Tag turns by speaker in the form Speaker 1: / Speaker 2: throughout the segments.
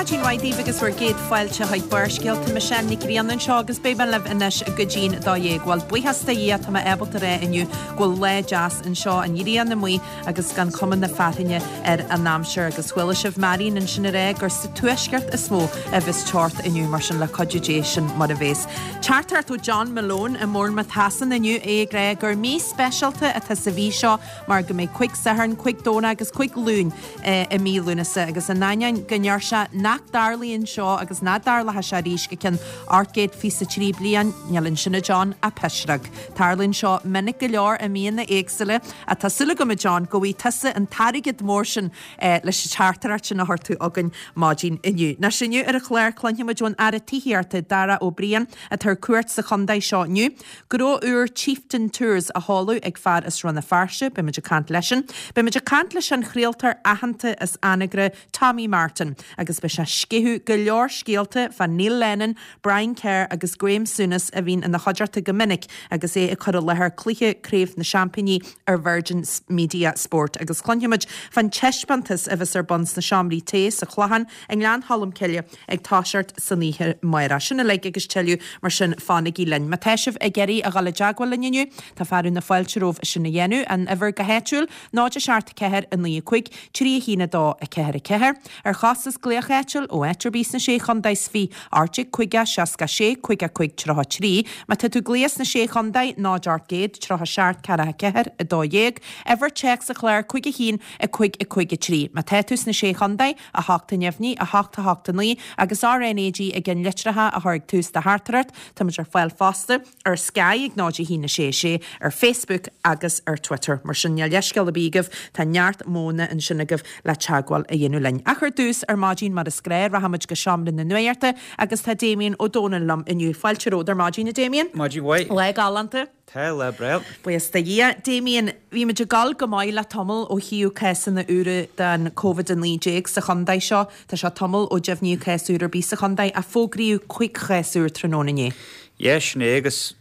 Speaker 1: Maidin mhaith daoibh agus bhur gcéad fáilte chuig Barrscéalta. Michelle Nic Grianna anseo agus beidh mé libh anois go dtí'n 12. Bhuel, buíochas do Dhia, tá mé ábalta a rá inniu go bhfuil lá deas anseo, an ghrian amuigh agus gan cuma na fearthainne ar an aimsir. Agus chuala sibh Marion ansin a rá gur sa tuaisceart is mó a bheas teocht inniu, mar sin le cuidiú Dé sin mar a bheas. Teachtaireacht ó John Malone i mBournemouth Shasana inniu, é ag rá gur mí speisialta atá sa mhí seo mar go mbeidh cuig Satharn, cuig Domhnach agus cuig Luain i mí Lúnasa agus in ainneoin go ndeir sé nach dtarlaíonn seo agus nach dtarlóidh sé arís go ceann 823 bliain, níl ansin a John ach pisreog. Tarlaíonn seo minic go leor i míonna éagsúla ach tá súil agam a John go bhfaighidh tusa an t-airgead mór sin leis an teachtaireacht sin a chuir tú chugainn maidin inniu. Anois inniu ar an chlár cluinfidh muid ón Aire Tithíochta Darragh O'Brien atá ar cuairt sa chontae seo inniu. Gnó úr Chieftain Tours á sheoladh ag fear as Rann na Feirste, beidh muid ag caint leisean. Beidh muid ag caint leis an chraoltóir aitheanta as Anagaire, Tommy Martin, agus beidh sé ag sceitheadh go leor scéalta fá Neil Lennon, Brian Kerr agus Graeme Souness a bhíonn ina chuideachta go minic agus é ag cur i láthair cluiche Craobh na Seaimpíní ar Virgin Media Sport. Agus cluinfidh muid fán taispeántas a bheas ar bun sna seomraí tae sa Chlochán i nGleann Cholm Cille ag toiseacht san oíche amárach. Sin uilig agus tuilleadh, mar sin fanaigí linn. Má tá sibh ag iarraidh a dhul i dteagmháil linn inniu, tá fearadh na fáilte romhaibh sin a dhéanamh. An uimhir go háitiúil, 0 7 4 9 5 3 1 2 4 4. Ar chostas glaoch áitiúil ó áit ar bith sna Sé Chontae is 20 18 50 66 55 33. Má tá tú ag glaoch sna Sé Chontae, 0 800 37 44 12. Uimhir téacs an chláir 5 1 5 5 3. Má tá tú sna Sé Chontae, 8 neamhní, 8 8 9, agus RnaG i gceann litreacha a chur ag tús do theachtaireacht. Táimid ar fáil fosta ar Sky ag 0 1 6 6, ar Facebook agus ar Twitter. Mar sin níl leithscéal ar bith agaibh, tá neart modhanna ansin agaibh le teagmháil a dhéanamh linn. Ach ar dtús, ar maidin mar is gnáth, rachaimid go Seomra na Nuachta agus tá Damien Ó Dónaill liom inniu. Fáilte romhat ar maidin, a Damien.
Speaker 2: Maidin mhaith.
Speaker 1: Lá galánta.
Speaker 2: Tá, lá breá.
Speaker 1: Buíochas do Dhia. Damien, bhí muid ag gabháil go maith le tamall ó thaobh cásanna úra den Covid-19 sa chontae seo. Tá sé tamall ó deimhníodh cás úr ar bith sa chontae ach fógraíodh cuig chás úr tráthnóna inné.
Speaker 2: Yeah, sin é agus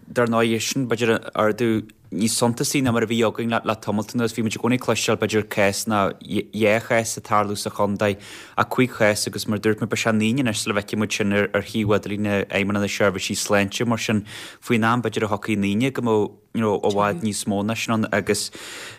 Speaker 2: dar ndóigh sin b'fhéidir ardú níos suntasaí ná mar a bhí againn le tamalt anuas. Bhí muid i gcónaí ag cloisteáil b'fhéidir cás nó dhá chás ag tarlú sa chontae ach cuig chás agus mar a dúirt mé beidh sé an Aoine anois sula bhfeicfidh muid sin ar shuíomh idirlín Fheidhmeannacht na Seirbhísí Sláinte mar sin faoin am b'fhéidir a thiocfaidh an Aoine go mbeadh you know i bhfad níos mó ná sin ann agus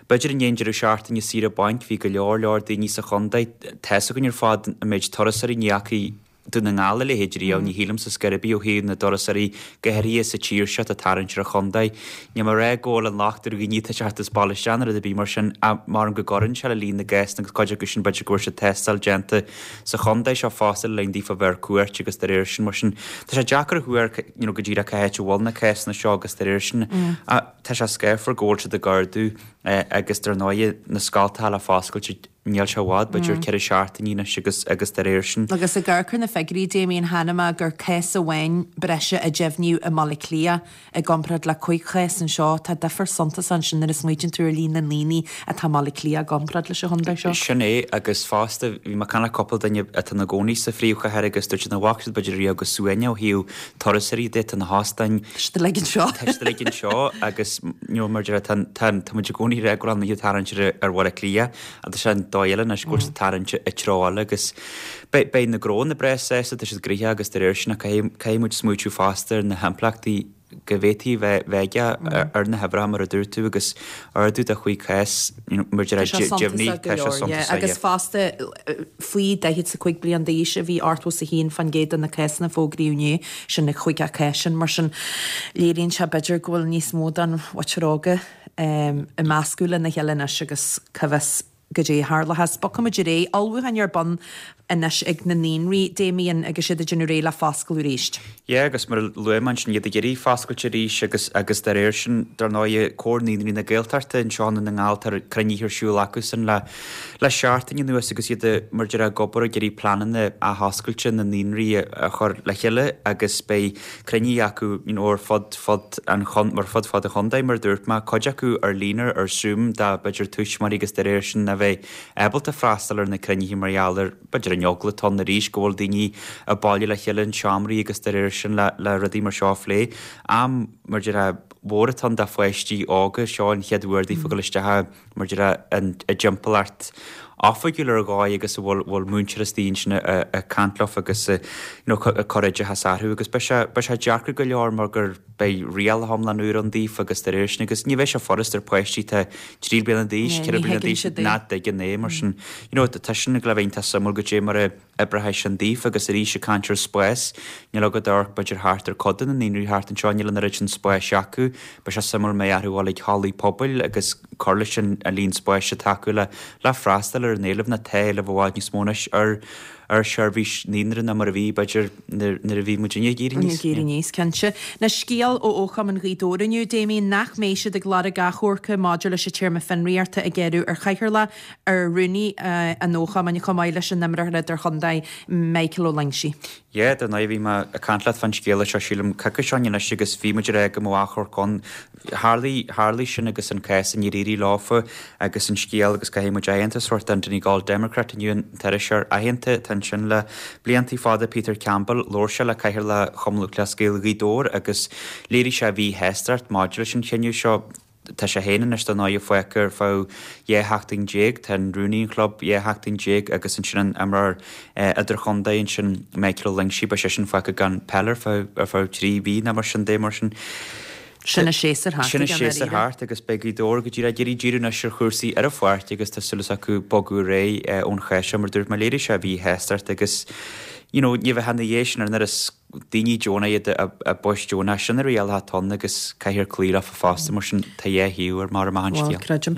Speaker 2: b'fhéidir i ndiaidh an deireadh seachtaine saoire bainc bhí go leor leor daoine sa chontae tá fhios againn ar fad an méid turasóirí ní fhacaidh Dún na nGall a leithéid riamh ní shílimse scor ar bith ó thaobh na dturasóirí go háirithe sa tír seo atá ag tarraingt ar an chontae. Níl mé ag rá go bhfuil an locht ar dhaoine atá ag teacht as baile isteach nó rud ar bith mar sin ach measaim go gcuireann sé le líon na gcásanna agus cuid acu sin b'fhéidir go bhfuair siad tástáil déanta sa chontae seo fosta le linn daofa bheith ar cuairt agus dá réir sin mar sin tá sé deacair a thuar you know go díreach cá háit a bhfuil na cásanna seo agus dá réir sin tá sé scáfar go bhfuil siad ag ardú agus dar ndóigh na scoltacha le foscailt níl sé i bhfad b'fhéidir 4 seachtainí anois agus agus dá réir sin.
Speaker 1: Agus ag amharc ar na figiúirí Damien chonaic mé gur cás amháin breise a deimhníodh i mBaile Átha Cliath I gcomparáid le cuig chás anseo, tá difear suntasach ansin nuair a smaoitíonn tú ar líon na ndaoine atá i mBaile Átha Cliath i gcomparáid leis an chontae seo.
Speaker 2: Sin é, agus fosta, bhí mé ag caint le cúpla duine atá ina gcónaí sa phríomhchathair agus dúirt siad nach bhfaca siad b'fhéidir riamh chomh suaimhneach ó thaobh turasóirí de, tá na hóstáin,
Speaker 1: Tá siad uilig anseo.
Speaker 2: Tá siad uilig anseo agus you know mar a deir tá tá tá muid i gcónaí ag rá go bhfuil an oíche ag tarraingt ar ar Bhaile Átha Cliath ach tá sé an dóigh eile anois go bhfuil siad ag tarraingt i treo eile agus Beidh, beidh na gnónna breá sásta, tá siad gnoitheach agus dá réir sin ach caithfidh, caithfidh muid smaoitiú fosta ar na himpleachtaí go bhféadfaí bheith, bheith aige ar na huimhreacha mar a dúirt tú agus ardú de chúig chás, you know, mar
Speaker 1: Tá sé suntasach go leor, yeah. Agus fosta, faoi 45 bliain d'aois a bhí 81% de na cásanna a fógraíodh inné, sin na chúig chás sin, mar sin léiríonn sé b'fhéidir go bhfuil níos mó den mhuintir óga ag meascadh lena chéile anois agus cá bhfios Goidé a tharlóchas. Bogfaimid ar aghaidh. Ullmhúcháin ar bun anois ag na naíonraí, Damien, agus iad ag déanamh réidh le foscladh arís.
Speaker 2: Yeah, agus mar a luaigh mé ansin, iad ag iarraidh foscailt arís agus agus dá réir sin, dar ndóigh, Comhar Naíonraí na Gaeltachta anseo i nDún na nGall, tá cruinnithe ar siúl acusan le le seachtain anuas agus iad mar a déarfá ag obair ag iarraidh pleananna athoscailte na naíonraí a chur le chéile agus beidh cruinnithe acu you know ar fud fud an chon ar fud fad an chontae mar a dúirt mé, cuid acu ar líne ar Zoom do b'fhéidir tuismitheoirí agus dá réir sin a bheith ábalta freastal ar na cruinnithe mar gheall ar b'fhéidir an eagla atá ann arís go bhfuil daoine ag bailiú le chéile in seomraí agus dá réir sin le le rudaí mar seo a phlé. Am mar a déarfá mór atá ann do pháistí óga, seo an chéad uair daofa dul isteach i mar a déarfá i dtimpeallacht. oifigiúil ar dhóigh agus a bhfuil bhfuil múinteoir istigh ansin ag caint leofa agus you know ag cur oideachas orthu agus beidh sé beidh sé deacair go leor mar gur beidh rialacha iomlán úr ann daofa agus dá réir sin agus ní bheidh sé furast ar pháistí atá 3 bliana d'aois, 4 bliana d'aois nach dtuigeann é mar sin you know tá sin ag le bheith iontach suimiúil goidé mar a oibreoidh sin daofa agus arís ag caint ar spás, níl agat amharc b'fhéidir thart ar cuid de na naíonraí thart anseo, níl an oiread sin spáis acu. Beidh sé suimiúil an mbeidh orthu dhul ag hallaí pobail agus cur leis an líon spáis atá acu le le freastal ar an éileamh nó tá éileamh i bhfad níos mó anois ar ar sheirbhís naíonra ná mar a bhí b'fhéidir nuair a bhí muidinne ag éirí aníos.
Speaker 1: Ag éirí aníos, cinnte. Anois scéal ó Fhochumann Ghaoth Dobhair inniu, Damien, nach mbeidh siad ag lorg achomhairce maidir leis an téarma fionraíochta a gearradh ar chathaoirleach ar rúnaí an Fhochumainn chomh maith leis an imreoir idirchontae Michael Ó Loingsigh.
Speaker 2: Yeah, dar ndóigh bhí mé ag caint leat fán scéala seo sílim coicís ó shin anois agus bhí muid ag rá go mbeadh achomharc ann. Tharlaigh, tharlaigh sin agus an cás níor éirigh leofa agus an scéal agus caithfidh muid aitheantas a thabhairt don Donegal Democrat inniu an t-iriseoir aitheanta atá ansin le bliantaí fada Peter Campbell, labhair sé le Cathaoirleach Chumann Lúthchleas Gael Ghaoth Dobhair agus léirigh sé a mhíshástacht maidir leis an chinneadh seo. Tá sé féin anois dar ndóigh fágtha ar feadh 12 sheachtain. Tá an rúnaí an chlub 12 sheachtain agus ansin an imreoir idirchontae ansin Michael Ó Loingsigh, beidh seisean fágtha gan peil ar feadh ar feadh 3 mhí nó mar sin de mar sin.
Speaker 1: Sin an séasúr
Speaker 2: thart Sin an séasúr thart agus beidh Gaoth Dobhair go díreach ag iarraidh díriú anois ar chúrsaí ar an pháirc agus tá súil acu bogadh ar aghaidh ón chás seo mar dúirt mé léirigh sé a mhíshástacht agus you know ní bheadh ina dhiaidh sin ar an oiread daoine deonacha iad i bpoist deonacha, sin na rialacha atá ann agus caithfear cloí leofa fosta, mar sin tá dhá thaobh ar mar amach an
Speaker 1: scéal. Bhuel, creidim.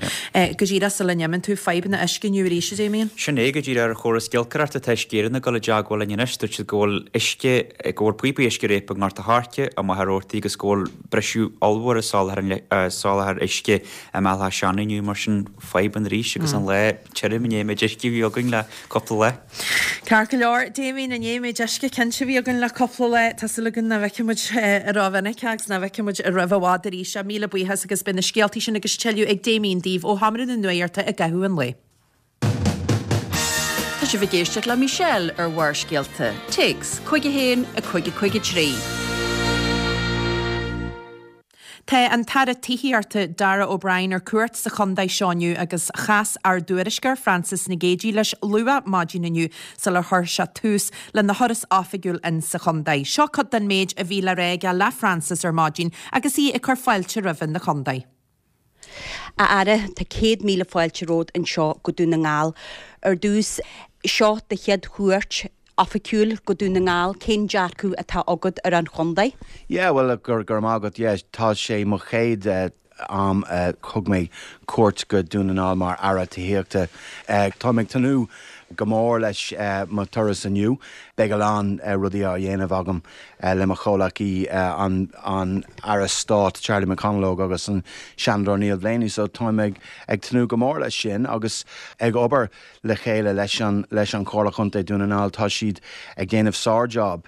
Speaker 1: Go díreach sula n-imíonn tú, fadhbanna uisce inniu arís, a Damien?
Speaker 2: Sin é, go díreach ar chóras giolcaireachta tá Uisce Éireann ag dul i dteagmháil linn anois, dúirt siad go bhfuil uisce, go bhfuil píopaí uisce ag réabadh i nGort a' Choirce, i Machaire Rabhartaigh agus go bhfuil briseadh ollmhór i soláthar an soláthar uisce i mBéal Átha Seanaidh inniu, mar sin fadhbanna arís agus an lá tirim i ndiaidh an méid uisce a bhí againn le cúpla lá.
Speaker 1: Ceart go leor, Damien, i ndiaidh an méid uisce cinnte a bhí againn le cúpla lá, tá súil againn nach bhfeicfidh muid rómhinic é agus nach bhfeicfidh muid roimh i bhfad arís é. Míle buíochas agus beidh na scéaltaí sin agus tuilleadh ag Damien daoibh ó Sheomra na Nuachta i gcaitheamh an lae.
Speaker 3: Tá sibh ag éisteacht le Michelle ar Bharrscéalta. Téacs, 51 553.
Speaker 1: Tá an tAire Tithíochta, Darragh O'Brien ar cuairt sa chontae seo inniu agus chas ár dtuairisceoir Frances Nic Géadaigh leis luath maidin inniu sular chuir sé tús lena thuras oifigiúil in sa chontae. Seo cuid den méid a bhí le rá aige le Frances ar maidin agus í ag cur fáilte roimhe 'na chontae.
Speaker 3: A Aire, tá 100,000 fáilte romhat anseo go Dún na nGall. Ar dtús, seo do chéad chuairt oifigiúil go Dún na nGall, cén dearcadh atá agat ar an chontae?
Speaker 4: Yeah, bhuel, go raibh maith agat, yeah, tá sé mo chéad am a thug mé cuairt go Dún na nGall mar Aire Tithíochta. Táim ag tnúth go mór leis mo turas inniu. Beidh a lán rudaí á dhéanamh agam le mo chomhleacaí, an Aire Stáit Charlie McConalogue agus an Seanadóir Neil Blaney, so táim ag tnúth go mór leis sin agus ag obair le chéile leis an leis an Chomhairle Chontae Dún na nGall. Tá siad ag déanamh sár-job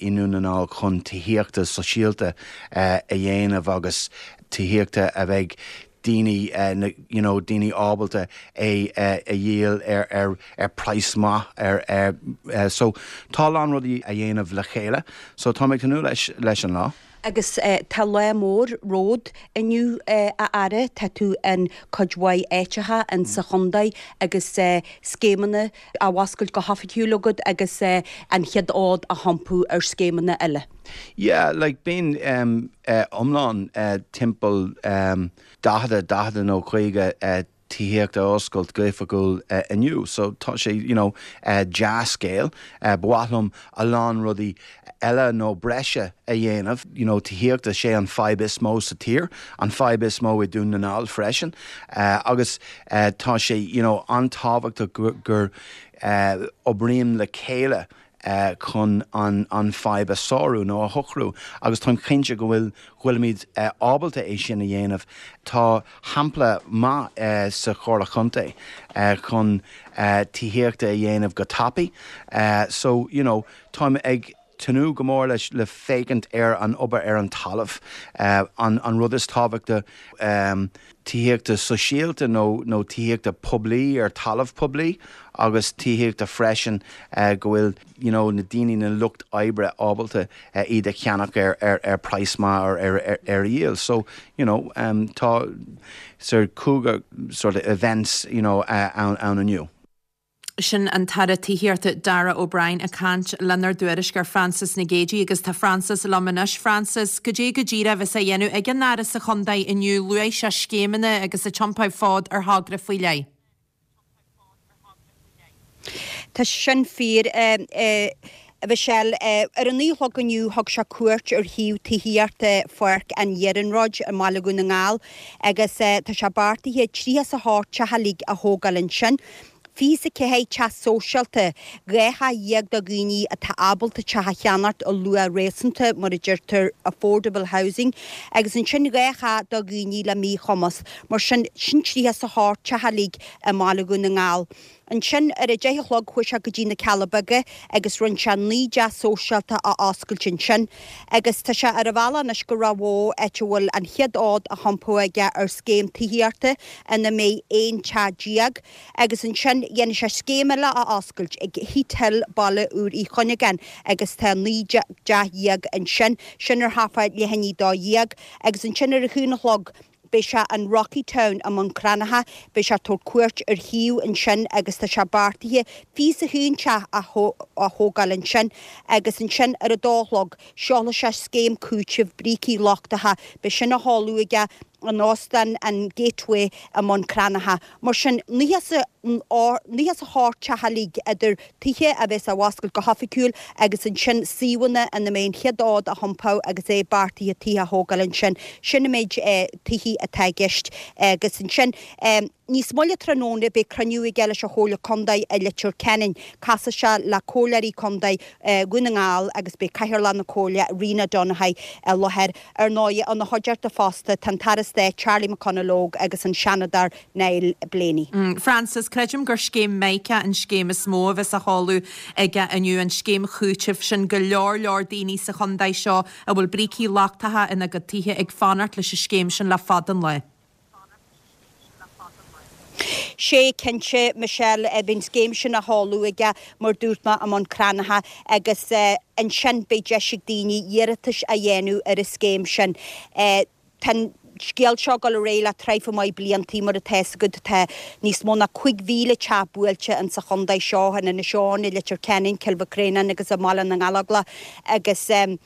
Speaker 4: i nDún na nGall chun tithíochta sóisialta a dhéanamh agus tithíochta a bheidh daoine you know daoine ábalta é a dhíol ar ar ar praghas maith ar ar so tá a lán rudaí a dhéanamh le chéile so táim ag tnúth leis leis an lá.
Speaker 3: Agus tá lá mór romhat inniu, a Aire. Tá tú in cuid mhaith áiteacha in sa chontae agus scéimeanna á bhfoscailt go hoifigiúil agat agus an chéad fhód á hiompú ar scéimeanna eile.
Speaker 4: Yeah, like bíonn iomlán timpeall 40, 40 nó 50 tithíocht a oscailt go hoifigiúil inniu. So tá sé you know dea-scéal. Ba mhaith liom a lán rudaí eile nó breise a dhéanamh. You know tithíochta, sé an fadhb is mó sa tír, an fadhb is mó i Dún na nGall freisin. Agus tá sé you know an-tábhachtach gur oibrím le chéile chun an fadhb a sárú nó a shocrú agus táim cinnte go bhfuil bhfuilimid ábalta é sin a dhéanamh. Tá shampla maith sa Chomhairle Chontae chun tithíochta a dhéanamh go tapaidh. So, you know, táim ag tnúth go mór leis le féachaint ar an obair ar an talamh. An rud is tábhachta tithíochta sóisialta nó nó tithíochta poiblí ar talamh poiblí agus tithíochta freisin go bhfuil you know na daoine, na lucht oibre ábalta iad a cheannach ar ar ar praghas maith ar ar ar ar a dhíol. So you know tá sort 50 sort of events you know ann ann inniu.
Speaker 1: Sin an tAire Tithíochta Darragh O'Brien ag caint lenár dtuairisceoir Frances Nic Géadaigh agus tá Frances liom anois. Frances, goidé go díreach a bheas á dhéanamh ag an Aire sa chontae inniu? Luaigh sé scéimeanna agus ag tiompáil fód ar thogra faoi leith.
Speaker 3: Tá sin fíor, a Mhichelle. Ar a naoi a chlog inniu thug sé cuairt ar shuíomh tithíochta Pháirc an Iarnróid i mBaile Dhún na nGall agus tá sé beartaithe 38 teach uilig a thógáil ansin. 24 teach sóisialta, 12 theach do dhaoine atá ábalta teach a cheannacht ar luach réasúnta, mar a deirtear affordable housing, agus ansin 2 theach do dhaoine le míchumas. Mar sin, sin 38 teach uilig i mBaile Dhún na nGall. Ansin ar a deich a chlog chuaigh sé go dtí na Cealla Beaga agus rinne sé 9 dteach sóisialta a oscailt ansin. Agus tá sé ar a bhealach anois go Ráth Bhoth áit a bhfuil an chéad fhód á thiompú aige ar scéim tithíochta ina mbeidh 11 teach. Agus ansin dhéanfaidh sé scéim eile a oscailt ag Heath Hill, Baile Úr Uí Chuinneagáin agus tá 19 dteach ansin, sin ar thart fá leath i ndiaidh 12. Agus ansin ar a haon a chlog Beidh sé in Rocketown i mBun Cranncha, beidh sé ag tabhairt cuairt ar shuíomh ansin agus tá sé beartaithe 21 teach a thógáil ansin agus ansin ar a dó a chlog seolfaidh sé scéim cúitimh brící lochtacha, beidh sin á sheoladh aige in Óstán an Gateway i mBun Cranncha. Mar sin, 98 teach uilig idir tithe a bheas á bhfoscailt go hoifigiúil agus ansin suíomhanna ina mbeidh an chéad fhód á thiompú agus é beartaithe tithe a thógáil ansin. Sin an méid tithe atá i gceist. Agus ansin níos moille tráthnóna beidh cruinniú aige leis an Chomhairle Contae i Leitir Ceanainn. Casfaidh sé le Comhairleoirí Contae Dhún na nGall agus beidh Cathaoirleach na Comhairle, Rena Donaghey, i láthair. Ar ndóigh, ina chuideachta fosta tá an tAire Stáit Charlie McConalogue agus an Seanadóir Niall Blaney.
Speaker 1: Frances, Creidim gur scéim Mica an scéim is mó a bheas á sheoladh aige inniu, an scéim chúitimh sin. Go leor leor daoine sa chontae seo a bhfuil brící lochtacha ina gcuid tithe ag fanacht leis an scéim sin le fada an lá.
Speaker 3: Sé cinnte, Michelle, beidh an scéim sin á sheoladh aige, mar dúirt mé, i mBun Cranncha agus ansin beidh deis ag daoine iarratais a dhéanamh ar an scéim sin. Tá an scéal seo ag dul ar aghaidh le traidhfil maith bliantaí, mar atá fhios agat. Tá níos mó ná 5,000 teach buailte insa chontae seo, in Inis Eoghain, i Leitir Ceanainn, Cill Mhic Réanáin agus i mBaile na nGallóglach agus in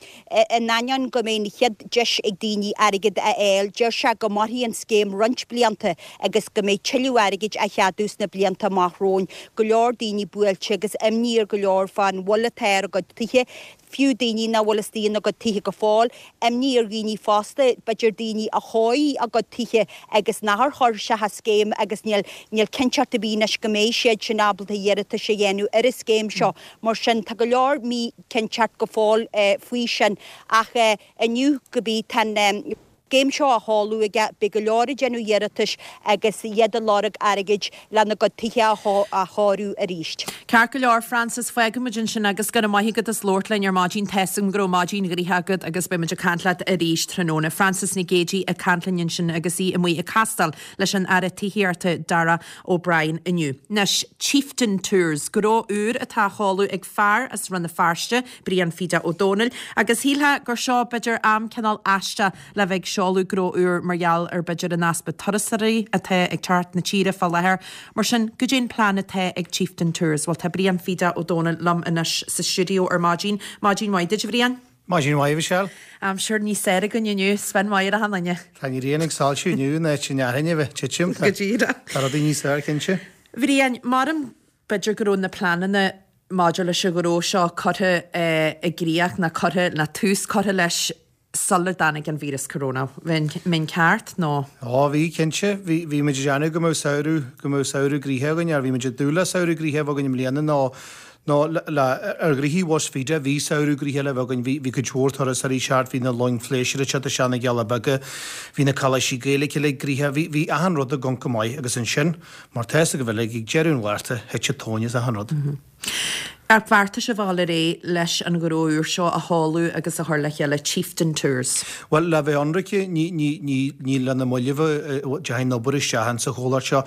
Speaker 3: ainneoin go mbeidh an chéad deis ag daoine airgead a fháil, deir sé go mairfidh an scéim roinnt blianta agus go mbeidh tuilleadh airgid á cheadú sna blianta amach romhainn. Go leor daoine buailte agus imní ar go leor fán bhail atá ar a gcuid tithe. fiú daoine nach bhfuil istigh ina gcuid tithe go fóill, imní ar dhaoine fosta, b'fhéidir daoine a chóirigh a gcuid tithe agus nachar chuir isteach an scéim agus níl, níl cinnteacht ar bith anois go mbeidh siad sin ábalta iarratais a dhéanamh ar an scéim seo. Mar sin, tá go leor míchinnteacht go fóill faoi sin ach inniu, go bith, tá an. scéim seo á sheoladh aige, beidh go leor ag déanamh iarratais agus iad ag lorg airgid lena gcuid tithe a chóiriú arís.
Speaker 1: Ceart go leor, Frances, fágfaimid ansin agus go raibh maith agat as labhairt linn ar maidin. Tá's agam go raibh maidin ghnoitheach agat agus beidh muid ag caint leat arís tráthnóna. Frances Nic Géadaigh ag caint linn ansin agus í amuigh ag castáil leis an Aire Tithíochta Darragh O'Brien inniu. Anois, Chieftain Tours, gnó úr atá á sheoladh ag fear as Rann na Feirste, Brian Pheda Ó Domhnaill, Agus shílfeá gur seo b'fhéidir am cineál aisteach le bheith ag seoladh gnó úr mar gheall ar b'fhéidir an easpa turasóirí atá ag teacht na tíre fá láthair. Mar sin, goidé an plean atá ag Chieftain Tours? Bhuel tá Brian Pheda Ó Domhnaill liom anois sa stiúideo ar maidin. Maidin mhaith duit a Bhriain.
Speaker 5: Maidin mhaith, a Mhichelle.
Speaker 1: Aimsir níos fearr againn inniu, spion maith ar achan duine.
Speaker 5: Tá an ghrian ag soilsiú inniu in áit an fhearthainn a bheith ag titim.
Speaker 1: Go díreach.
Speaker 5: Tá rudaí níos fearr, cinnte.
Speaker 1: Bhriain, maram B'fhéidir go raibh na pleananna maidir leis an ghnó seo curtha i gcríoch nó curtha, nó tús curtha leis sula dtáinig an víreas corona. Bheinn ceart nó?
Speaker 5: Ó, bhí, cinnte. Bhí, bhí muid ag déanamh go mbeadh samhradh, go mbeadh samhradh gnoitheach againn, or bhí muid ag dúil le samhradh gnoitheach a bheith againn i mbliana nó, nó le, le, ar ghnoithí bhus Pheda, bhí samhradh gnoitheach le bheith againn. Bhí, bhí cuid mhór turasóirí ag teacht, bhí na loing phléisiúir ag teacht isteach na gCealla Beaga, bhí na coláistí Gaeilge uilig gnoitheach, bhí, bhí achan rud ag dul go maith agus ansin, Mar tá fhios agaibh uilig, ag deireadh an Mhárta, thit an tóin as achan rud.
Speaker 1: Ar bheartaigh sibh a dhul ar aghaidh leis an ghnó úr seo a sheoladh agus a chur le chéile, Chieftain Tours?
Speaker 5: Bhuel, le bheith ionraice, ní, ní, ní, ní le na mallaibh a dteachaidh an obair isteach insa chomhlacht seo.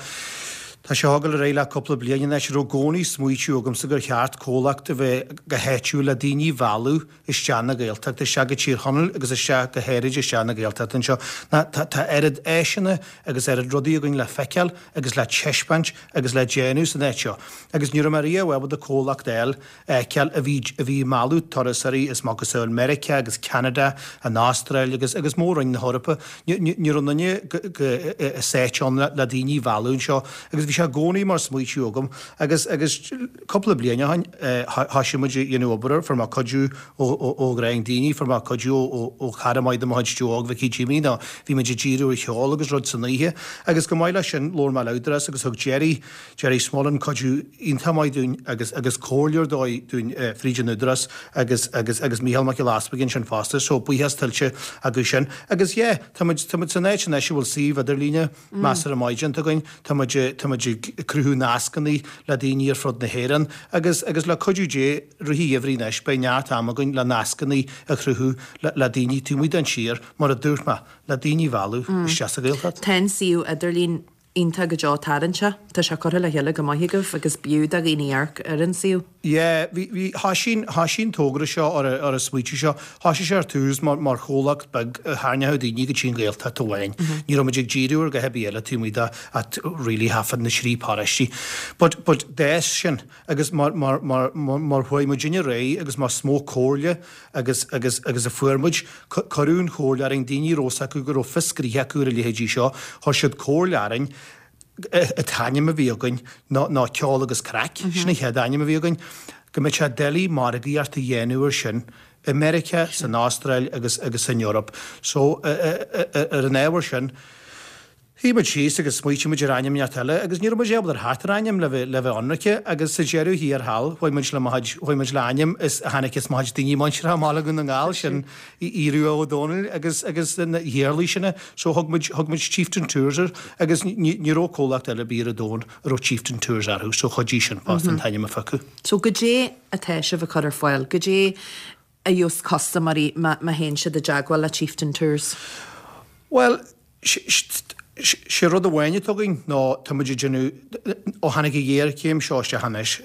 Speaker 5: Tá sé ag dul ar aghaidh le cúpla bliain anois. Raibh i gcónaí smaoitiú agamsa gur cheart comhlacht a bheith go háitiúil le daoine a mhealladh isteach na Gaeltachta, isteach go Tír Chonaill agus isteach go háirid isteach na Gaeltachta anseo. Ná tá tá oiread áiseanna agus oiread rudaí againn le feiceáil agus le teispeáint agus le déanamh san áit seo. Agus ní raibh mé riamh ábalta comhlacht a fháil fheiceáil a bhí a bhí ag mealladh turasóirí is macasamhail Meiriceá agus Ceanada, an Astráil agus agus mór-roinn na hEorpa. Ní ní ní raibh aon duine go go sa áit ann le le daoine a mhealladh anseo agus bhí sé i gcónaí mar smaoitiú agam agus agus cúpla bliain ó shin thoisigh muid ag déanamh obair air, fuair mé cuidiú ó ó ó dhream daoine, fuair mé cuidiú ó ó ó chara maith de mo chuid Joe Óg Mhicí Jimí nó bhí muid ag díriú ar cheol agus rud san oíche agus chomh maith leis sin labhair mé le Údarás agus thug Gerry Gerry Smullen cuidiú iontach maith dúinn agus agus comhairle ar dóigh dúinn fríd an Údarás agus agus agus Mícheál Mac Giolla Easpaig ansin fosta so buíochas tuillte acu sin. Agus yeah tá muid tá muid san áit anois a bhfuil suíomh idirlíne measartha maith déanta againn, tá muid tá muid ag cruthú nascanna le daoine ar fud na hÉireann agus agus le cuidiú Dé rith an gheimhridh anois beidh neart ama againn le nascanna a chruthú le le daoine taobh amuigh den tír mar a dúirt mé le daoine a mhealladh isteach sa Ghaeltacht.
Speaker 1: Tá an suíomh idirlín Iontach go deo tarraingteach. Tá sé curtha le chéile go maith agaibh agus b'fhiú do dhaoine amharc ar an suíomh.
Speaker 5: Yeah, bhí, bhí, thoisigh, thoisigh an togra seo ar an, ar an smaoitiú seo, thoisigh sé ar tús mar, mar chomhlacht beag a tharraingeodh daoine go dtí an Ghaeltacht amháin. Ní raibh muid ag díriú ar dhath ar bith eile taobh amuigh de ach really thaifead na dtrí paróistí. But, but d'fhás sin agus mar, mar, mar, mar chuaigh muidinne ar aghaidh agus mar is mó comhairle agus, agus, agus a fuair muid, Cuireadh an chomhairle orainn, daoine a raibh fhios acu go raibh fios gnoithe acu ar a leithéidí seo, chuir siad comhairle orainn, an t-ainm a bhí againn ná ná Ceol agus Craic, sin an chéad ainm a bhí againn, go mbeadh sé doiligh margaíocht a dhéanamh ar sin i Meiriceá, san Astráil agus agus san Eoraip. So, ar an ábhar sin, Shuigh muid síos agus smaoitigh muid ar ainm inteacht eile agus ní raibh muid ábalta theacht ar ainm le bheith le bheith ionraice agus sa deireadh thiar thall chuaigh muid le mo chuid chuaigh muid le ainm is a tháinig as mo chuid daoine muinteartha i mBaile Dhún na nGall sin Aodh Rua Ó Dónaill agus agus na hIarlaí sin so thug muid thug muid Chieftain Tours air agus ní ní raibh comhlacht eile ar bith ar an domhan a raibh Chieftain Tours orthu so chuidigh sin fosta an t-ainm a phiocadh.
Speaker 1: So goidé atá sibh ag cur ar fáil? Goidé a gheobhas custaiméirí má má théann siad i dteagmháil le Chieftain Tours?
Speaker 5: Bhuel, Sé rud amháin atá againn ná tá muid ag déanamh, ó tháinig an ghéarchéim seo isteach anois,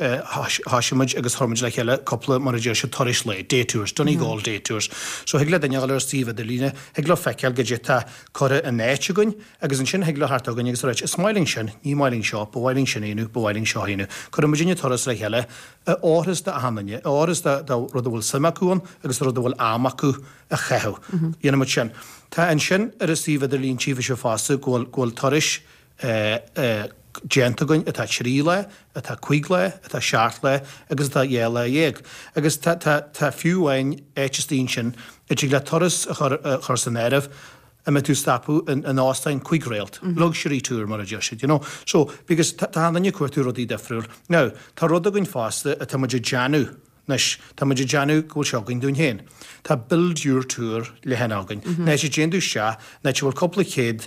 Speaker 5: thoisigh muid agus chuir muid le chéile cúpla, mar a deir siad, turais lae, day tours, Donegal day tours. So thig le duine a dhul ar an suíomh idirlíne, thig leo feiceáil goidé atá curtha in áit againn agus ansin thig leo theacht chugainn agus a ráit, is maith linn sin, ní maith linn seo, ba mhaith linn sin a dhéanamh, ba mhaith linn seo a dhéanamh. Cuireann muidinne turas le chéile a oirfeas d'achan duine, a oirfeas do rud a bhfuil suim acu ann agus do rud a bhfuil am acu. a chaitheamh. Dhéanann muid sin. Tá ansin ar an suíomh idirlín tchífidh sibh fosta go bhfuil go bhfuil turais déanta againn atá 3 lá, atá 5 lá, atá 7 lá agus atá 12 lá. Agus tá tá tá fiú amháin áit istigh ansin a dtig leat turas a chur a chur san áireamh a mbeidh tú ag stopadh in in óstáin 5 réalt, luxury tour mar a deir siad, you know. So because tá tá achan duine ag cuartú rudaí difriúil. Now tá rud againn fosta atá muid ag déanamh Anois, tá muid ag déanamh go bhfuil sé againn dúinn féin. Tá Build Your Tour leathanach againn. An áit a dtéann tú isteach, an áit a bhfuil cúpla céad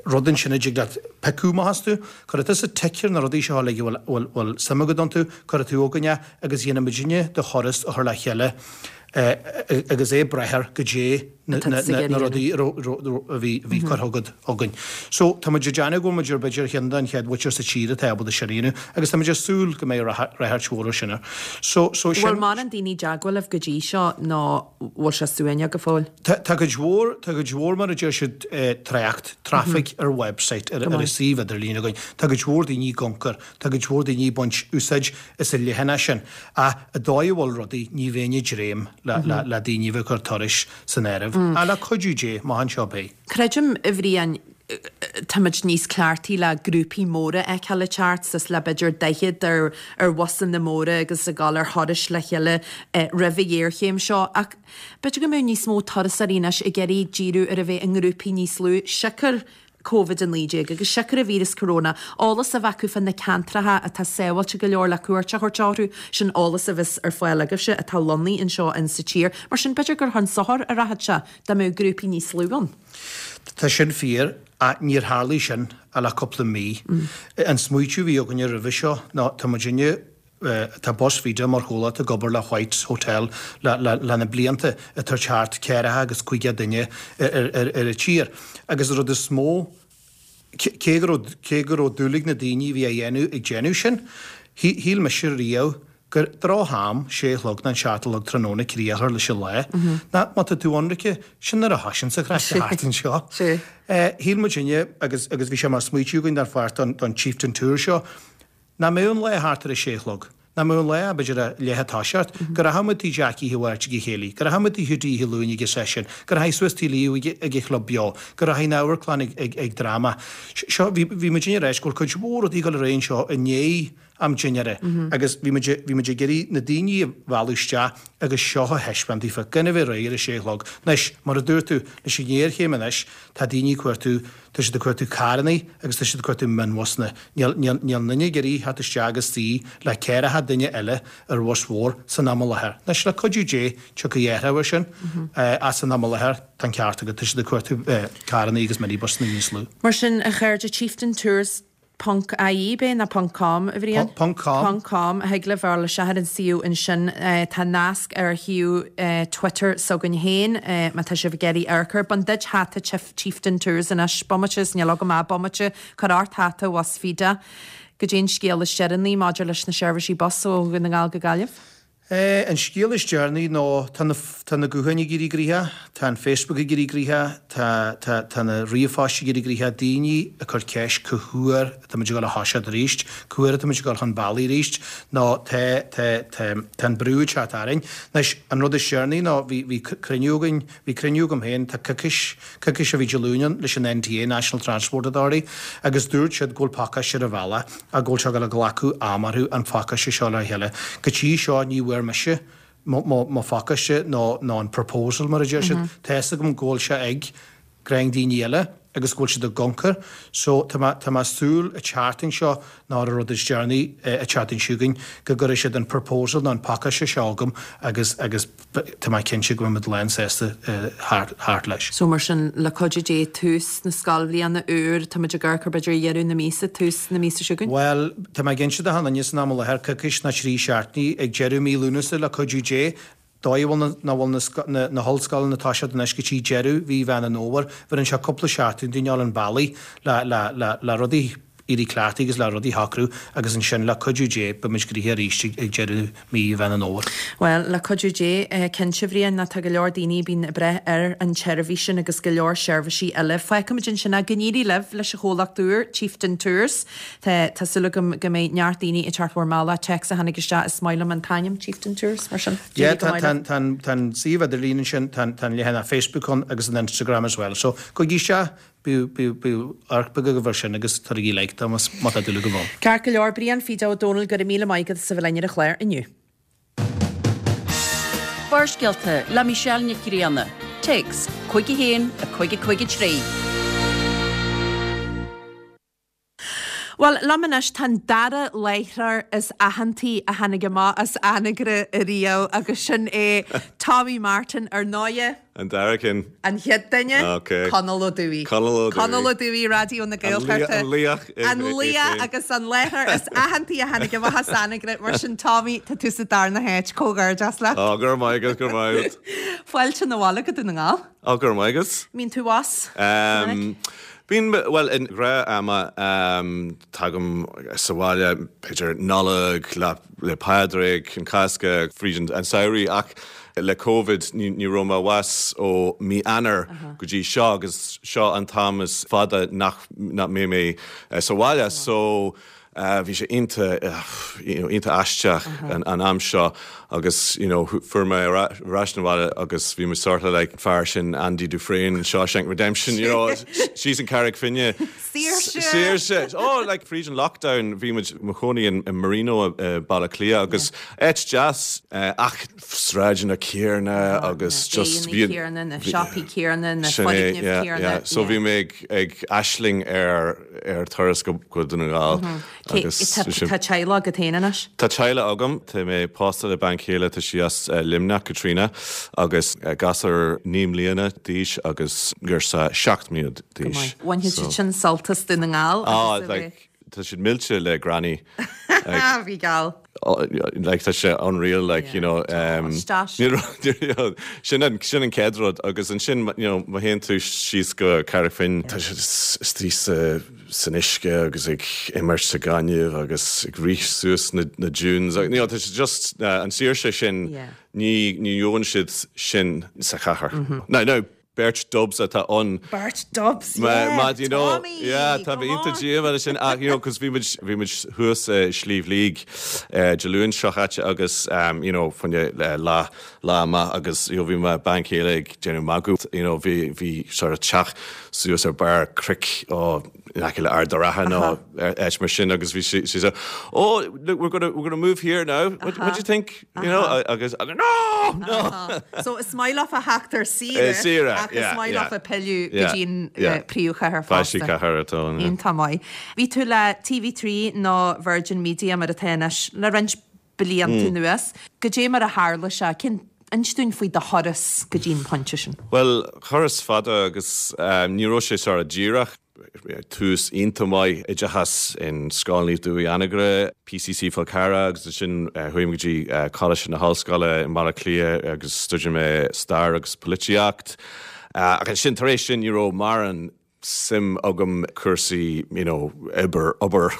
Speaker 5: rud ansin a dtig leat piocadh amach astu. Cuirfidh tusa tic ar na rudaí seo uilig a bhfuil suim agat iontu, cuirfidh tú chugainn é agus dhéanfaidh muidinne do thuras a chur le chéile agus é ag brath ar goidé na rudaí a bhí curtha agat chugainn. So, tá muid ag déanamh go bhfuil muid ar b'fhéidir ar cheann den chéad mhuintir sa tír atá ábalta sin a dhéanamh agus tá muid ag súil go mbeidh ráchairt mhór air sin.
Speaker 1: So, so sin. Bhfuil mórán daoine i dteagmháil libh go dtí seo nó bhfuil sé suaimhneach go fóill?
Speaker 5: Tá cuid mhór, tá cuid mhór mar a deir siad trácht, traffic ar website, ar an suíomh idirlín againn. Tá cuid mhór daoine ag amharc air. Tá cuid mhór daoine ag baint úsáid as an leathanach sin, ach an dóigh a bhfuil rudaí, ní bheinn ag dréim le daoine a bheith ag cur turais san áireamh. Ach le cuidiú Dé, amach anseo beidh.
Speaker 1: Creidim, a Bhriain, táimid níos cleachtaí le grúpaí móra a fheiceáil ag teacht, suas le b'fhéidir 40 ar ar bhusanna móra agus ag dul ar thurais le chéile roimh an ghéarchéim seo, ach b'fhéidir go mbeadh níos mó turasóirí anois ag iarraidh díriú ar a bheith i ngrúpaí níos lú, siocair Covid-19 agus siocair an víreas corona, eolas a bheith acu fá na ceantracha atá sábháilte go leor le cuairt a thabhairt orthu, sin eolas a bheas ar fáil agaibhse atá lonnaithe anseo in sa tír. Mar sin, b'fhéidir gur chun sochair a rachadh sé dá mbeadh grúpaí níos lú ann.
Speaker 5: Tá sin fíor, ach níor tharlaigh sin ach le cúpla mí. An smaoitiú a bhí againne roimhe seo ná tá muidinne, Tá Bus Feda mar chomhlacht ag obair le White's Hotel le na blianta, ag tabhairt thart ceathracha agus caoga duine ar an tír. Agus an rud is mó. Cé go raibh, cé go raibh dúil ag na daoine a bhí á dhéanamh ag déanamh sin, shíl mise riamh gur droch-am, sé a chlog nó an seacht a chlog tráthnóna críoch a chur leis an lá. Ná má tá tú ionraice, sin nuair a thosaíonn an chraic thart anseo. Shíl muidinne, agus agus bhí sé mar smaoitiú againn dar pháirt don don Chieftain Tour seo, Nach mbeadh an lá thart ar a sé a chlog. Nach mbeadh an lá, b'fhéidir, a leath a toiseacht, go rachadh muid tigh Jackie Oíche Mháirt ag an chéilí, go rachadh muid tigh Hiúdaí Oíche Luain ag an seisiún, go rachaidh suas tigh Leo ag an chlub beo, go rachaidh an amharclann ag dráma. Seo, bhí, bhí muidinne ag ráit go bhfuil cuid mhór rudaí ag dul ar aghaidh anseo i ndiaidh am dinnéara agus bhí muid, bhí muid ag iarraidh na daoine a mhealladh isteach agus seo a thaispeáint daofa, gan a bheith réidh ar a sé a chlog. Anois, mar a dúirt tú, leis an ngéarchéim anois, tá daoine ag cuartú, Tá siad ag cuartú carranna agus tá siad ag cuartú mionbhusanna. Níl aon duine ag iarraidh theacht isteach agus suí le ceathracha duine eile ar bhus mhór san am i láthair. Anois, le cuidiú Dé, tiocfaidh athrú air sin, ach san am i láthair, tá an ceart agat, tá siad ag cuartú carranna agus minibusanna níos lú.
Speaker 1: Mar sin, a chairde, Chieftain Tours Ponc IE, b'é, nó ponc com, a Bhriain?
Speaker 5: Ponc com.
Speaker 1: Ponc com. Thig libh a ghabháil isteach ar an suíomh ansin. Tá nasc ar shuíomh Twitter s'againn féin, má tá sibh ag iarraidh amharc air. Bain duit hata Chieftain Tours anois. Bomaite, is níl agam ach bomaite. Cuir ort hata Bhus Feda. Goidé an scéal is deireanaí maidir leis na seirbhísí bus ó Dhún na nGall go Gaillimh.
Speaker 5: An scéal is deireanaí ná tá na tá na gutháin ag éirí gnoitheach, tá an Facebook ag éirí gnoitheach, tá tá tá na ríomhphoist ag éirí gnoitheach, daoine ag cur ceist cá huair atá muid ag dul a thoiseacht arís, cá huair atá muid ag dul chun bealaigh arís, nó tá tá tá tá an brú ag teacht orainn. Anois, an rud is deireanaí ná bhí bhí cruinniú againn, bhí cruinniú agam féin, tá coicís, coicís ó bhí Dé Luain ann leis an NTA, National Transport Authority, agus dúirt siad go bhfuil pacáiste ar an bhealach ach go bhfuil sé ag dul a ghlacadh am orthu an phacáiste seo le chéile. Go dtí seo ní bhfuair mise mo, mo, mo phacáiste nó, nó an proposal mar a deir siad. Tá fhios agam go bhfuil sé ag greim daoine eile agus go bhfuil siad i gconcar so tá mé, tá mé ag súil an tseachtain seo nó ar an rud is deireanaí an tseachtain seo chugainn go gcuirfidh siad an proposal nó an pacáiste seo chugam agus, agus tá mé cinnte go mbeidh muid lán sásta thart leis.
Speaker 1: So mar sin, le cuidiú Dé, tús na scoilbhliana úr, tá muid ag amharc ar b'fhéidir dheireadh na míosa, tús na míosa seo chugainn?
Speaker 5: Bhuel, tá mé ag inse do achan duine san am i láthair, coicís nó trí seachtainí ag deireadh mí Lúnasa le cuidiú Dé, dóigh a bhfuil nach bhfuil na hollscoileanna ag toiseacht anois go dtí deireadh mhí Mheán an Fhómhair, bheireann sé cúpla seachtain dúinn a dhul an bealaigh le le rudaí éirí cleachtaithe agus le rudaí a shocrú agus ansin le cuidiú Dé beidh muid gnoitheach arís ag deireadh mí Mheán an Fhómhair.
Speaker 1: Bhuel, le cuidiú Dé, cinnte, a Bhriain, nó tá go leor daoine a bíonn ag brath ar an tseirbhís sin agus go leor seirbhísí eile. Fágfaimid ansin é. Go n-éirí libh leis an chomhlacht úr, Chieftain Tours. Tá tá súil agam go mbeidh neart daoine ag teacht bhur mbealach. Téacs a tháinig isteach, is maith liom an t-ainm, Chieftain Tours, mar sin.
Speaker 5: Yeah, tá tá tá tá an suíomh idirlín ansin, tá tá an leathanach Facebook ann agus an Instagram as well. So, gabhaigí isteach, Bíodh, bíodh, bíodh amharc beag agaibh air sin agus tabharaigí like dó más, má tá dúil agaibh ann.
Speaker 1: Ceart go leor, Brian Fido Ó Dónaill, go raibh míle maith agat as a bheith linn ar an chlár inniu.
Speaker 3: Barrscéalta le Michelle Nic Grianna. Téacs 51 5 5 3.
Speaker 1: Bhuel, liom anois tá an dara láithreoir is aitheantaí a tháinig amach as Anagaire ariamh agus sin é Tommy Martin, ar ndóighe.
Speaker 6: An dara ceann.
Speaker 1: An chéad duine,
Speaker 6: Ok.
Speaker 1: Conall Ó Dubhaigh.
Speaker 6: Conall Ó Dubhaigh.
Speaker 1: Conall Ó Dubhaigh, Raidió na Gaeltachta.
Speaker 6: An laoch.
Speaker 1: An laoch agus an láithreoir is aitheantaí a tháinig amach as Anagaire. Mar sin, Tommy, tá tú sa darna háit. Comhghairdeas leat.
Speaker 6: Ó, go raibh maith agat, go raibh maith agat.
Speaker 1: Fáilte 'na bhaile go Dún na nGall.
Speaker 6: Ó, go raibh maith agat.
Speaker 1: Mbíonn tú abhus go minic?
Speaker 6: Bíonn, bhuel, i ngnáth ama, tagaim sa bhaile, b'fhéidir Nollaig, Lá 'le Pádraig, an Cásca, fríd an samhradh ach le Covid ní raibh mé abhus ó mí Eanáir go dtí seo agus seo an t-am is fada nach mbeidh mé sa bhaile so Bhí sé iontach, you know, iontach aisteach an am seo agus, you know, fuair mé ar ais 'na bhaile agus bhí mé sort of like an fear sin Andy Dufresne in Shawshank Redemption, you know, síos an Carraig Finne.
Speaker 1: Saoirse!
Speaker 6: Saoirse! Oh, like fríd an lockdown bhí muid mo chónaí in Marino i Baile Átha Cliath agus áit deas ach sráideanna céarna agus just
Speaker 1: bhí. céarna, na siopaí céarna, na foirgnimh céarna.
Speaker 6: So bhí mé ag aisling ar ar turas go Dún na nGall
Speaker 1: agus. Tá teaghlach agat féin anois?
Speaker 6: Tá teaghlach agam. Tá mé pósta le bean chéile, tá sí as Luimneach, Caitríona, agus gasúr 9 mbliana d'aois agus girseach 7 mbliana
Speaker 1: d'aois. Go maith. Bhainfidh siad sin sult as Dún na nGall
Speaker 6: agus a bheith. Tá siad millte le Granny.
Speaker 1: Bhí geall.
Speaker 6: Like tá sé unreal like you know sin an sin an chéad rud agus ansin you know má théann tú síos go Carraig Finn tá sé istigh sa. san uisce agus ag imirt sa ghaineamh agus ag rith suas na dunes. You know, tá sé just an saoirse sin, ní ní gheobhann siad sin sa chathair. Now, now, beirt Dubs atá ann.
Speaker 1: Beirt Dubs, yeah!
Speaker 6: Má, you know,
Speaker 1: Tommy!
Speaker 6: yeah, tá mé
Speaker 1: Come
Speaker 6: iontach
Speaker 1: on!
Speaker 6: díomá leis sin ach, you know, 'cause bhí muid, bhí muid thuas i Sliabh Liag Dé Luain seo chaite agus, you know, fá choinne lá, lá amach agus, you know, bhí mo bean chéile ag déanamh magadh, you know, bhí, bhí sort of teach suas ar barr cnoic ó in aice le Ard an Rátha nó áit mar sin agus bhí sí, sí so, oh, look, we're gonna, we're gonna move here now, what, what do you think? You know, agus, no, no!
Speaker 1: So is maith leofa theacht ar saoire,
Speaker 6: saoire,
Speaker 1: ach is
Speaker 6: yeah,
Speaker 1: maith
Speaker 6: yeah.
Speaker 1: leofa pilleadh go
Speaker 6: Yeah,
Speaker 1: dtí an
Speaker 6: yeah.
Speaker 1: príomhchathair
Speaker 6: Pháistí
Speaker 1: fosta.
Speaker 6: cathair atá ann, yeah.
Speaker 1: Iontach maith. Bhí tú le TV3 nó Virgin Media mar atá anois le roinnt blianta anuas. Goidé mar a tharla sé? Cén, inis dúinn faoi do thuras go dtí an pointe sin.
Speaker 6: Bhuel, turas fada agus ní raibh sé sort of díreach. Tús iontach maith, oideachas in Scoil Naomh Dubhthaigh Anagaire, PCC Fál Carrach agus ansin chuaigh mé go dtí Coláiste na hOllscoile i mBaile Átha Cliath agus stuidéir mé Stair agus Polaitíocht. Ach ansin tar éis sin ní raibh mórán suim agam cúrsaí you know obair, obair,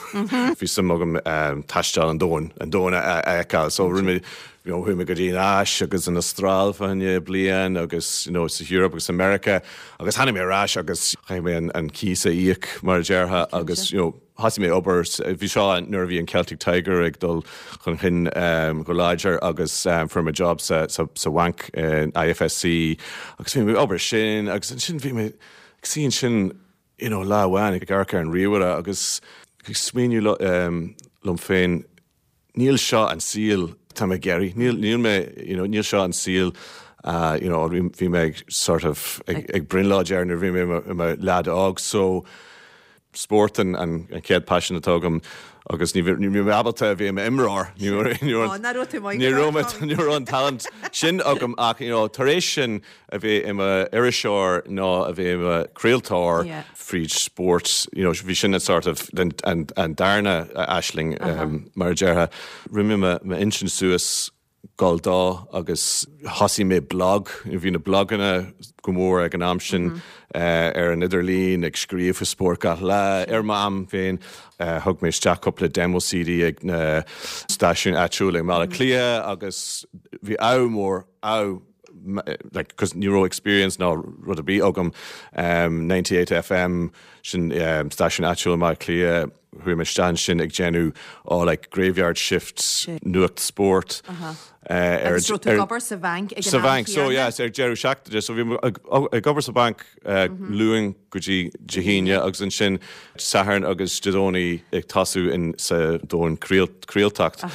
Speaker 6: bhí suim agam taisteal an domhain, an domhan a fheiceáil. So rinne mé, you know, chuaigh mé go dtí an Áis agus an Astráil fá choinne bliain agus you know sa Europe agus America agus tháinig mé ar ais agus chaith mé an, an cíos a íoc mar a déarfá agus you know thosaigh mé obair, bhí seo nuair a bhí an Celtic Tiger ag dul chun chinn go láidir agus fuair mé job sa, sa, sa bhanc in IFSC agus bhí mé ag obair sin agus ansin bhí mé ag suí ansin you know lá amháin ag amharc ar an ríomhaire agus ag smaoineamh liom féin níl seo an saol atá mé ag iarraidh, níl, níl mé, you know, níl seo an saol you know, bhí mé ag sort of ag, ag brionglóid air nuair a bhí mé i mo leaid óg so spórt an, an, an chéad paisean atá agam agus ní ní raibh mé ábalta a bheith i m'imreoir, ní raibh, ní raibh, ní raibh, ní raibh an talent sin agam ach you know, tar éis sin a bheith i m'iriseoir nó a bheith i mo chraoltóir fríd spórt, you know, bhí sin an sort of an darna aisling mar a déarfá. Rinne mé m'intinn suas dul dó agus thosaigh mé blog, bhí na bloganna go mór ag an am sin ar an idirlíon ag scríobh faoi spórt gach lá ar m'am féin. Thug mé isteach cúpla demo CD ag na stáisiúin áitiúla i mBaile Átha Cliath agus bhí ádh mór, ádh like, cos ní raibh experience ná rud ar bith agam, 98 FM, sin stáisiún áitiúil i mBaile Átha Cliath, chuaigh mé isteach ansin ag déanamh oh like graveyard shifts, nuacht spóirt
Speaker 1: ar Agus raibh tú ag obair sa bhanc ag an am céanna?
Speaker 6: Sa bhanc, so yeah, ar deireadh seachtaine, so bhí mé ag obair sa bhanc Luan go dtí Dé hAoine agus ansin Satharn agus Dé Domhnaigh ag tosú in sa domhan craoltacht.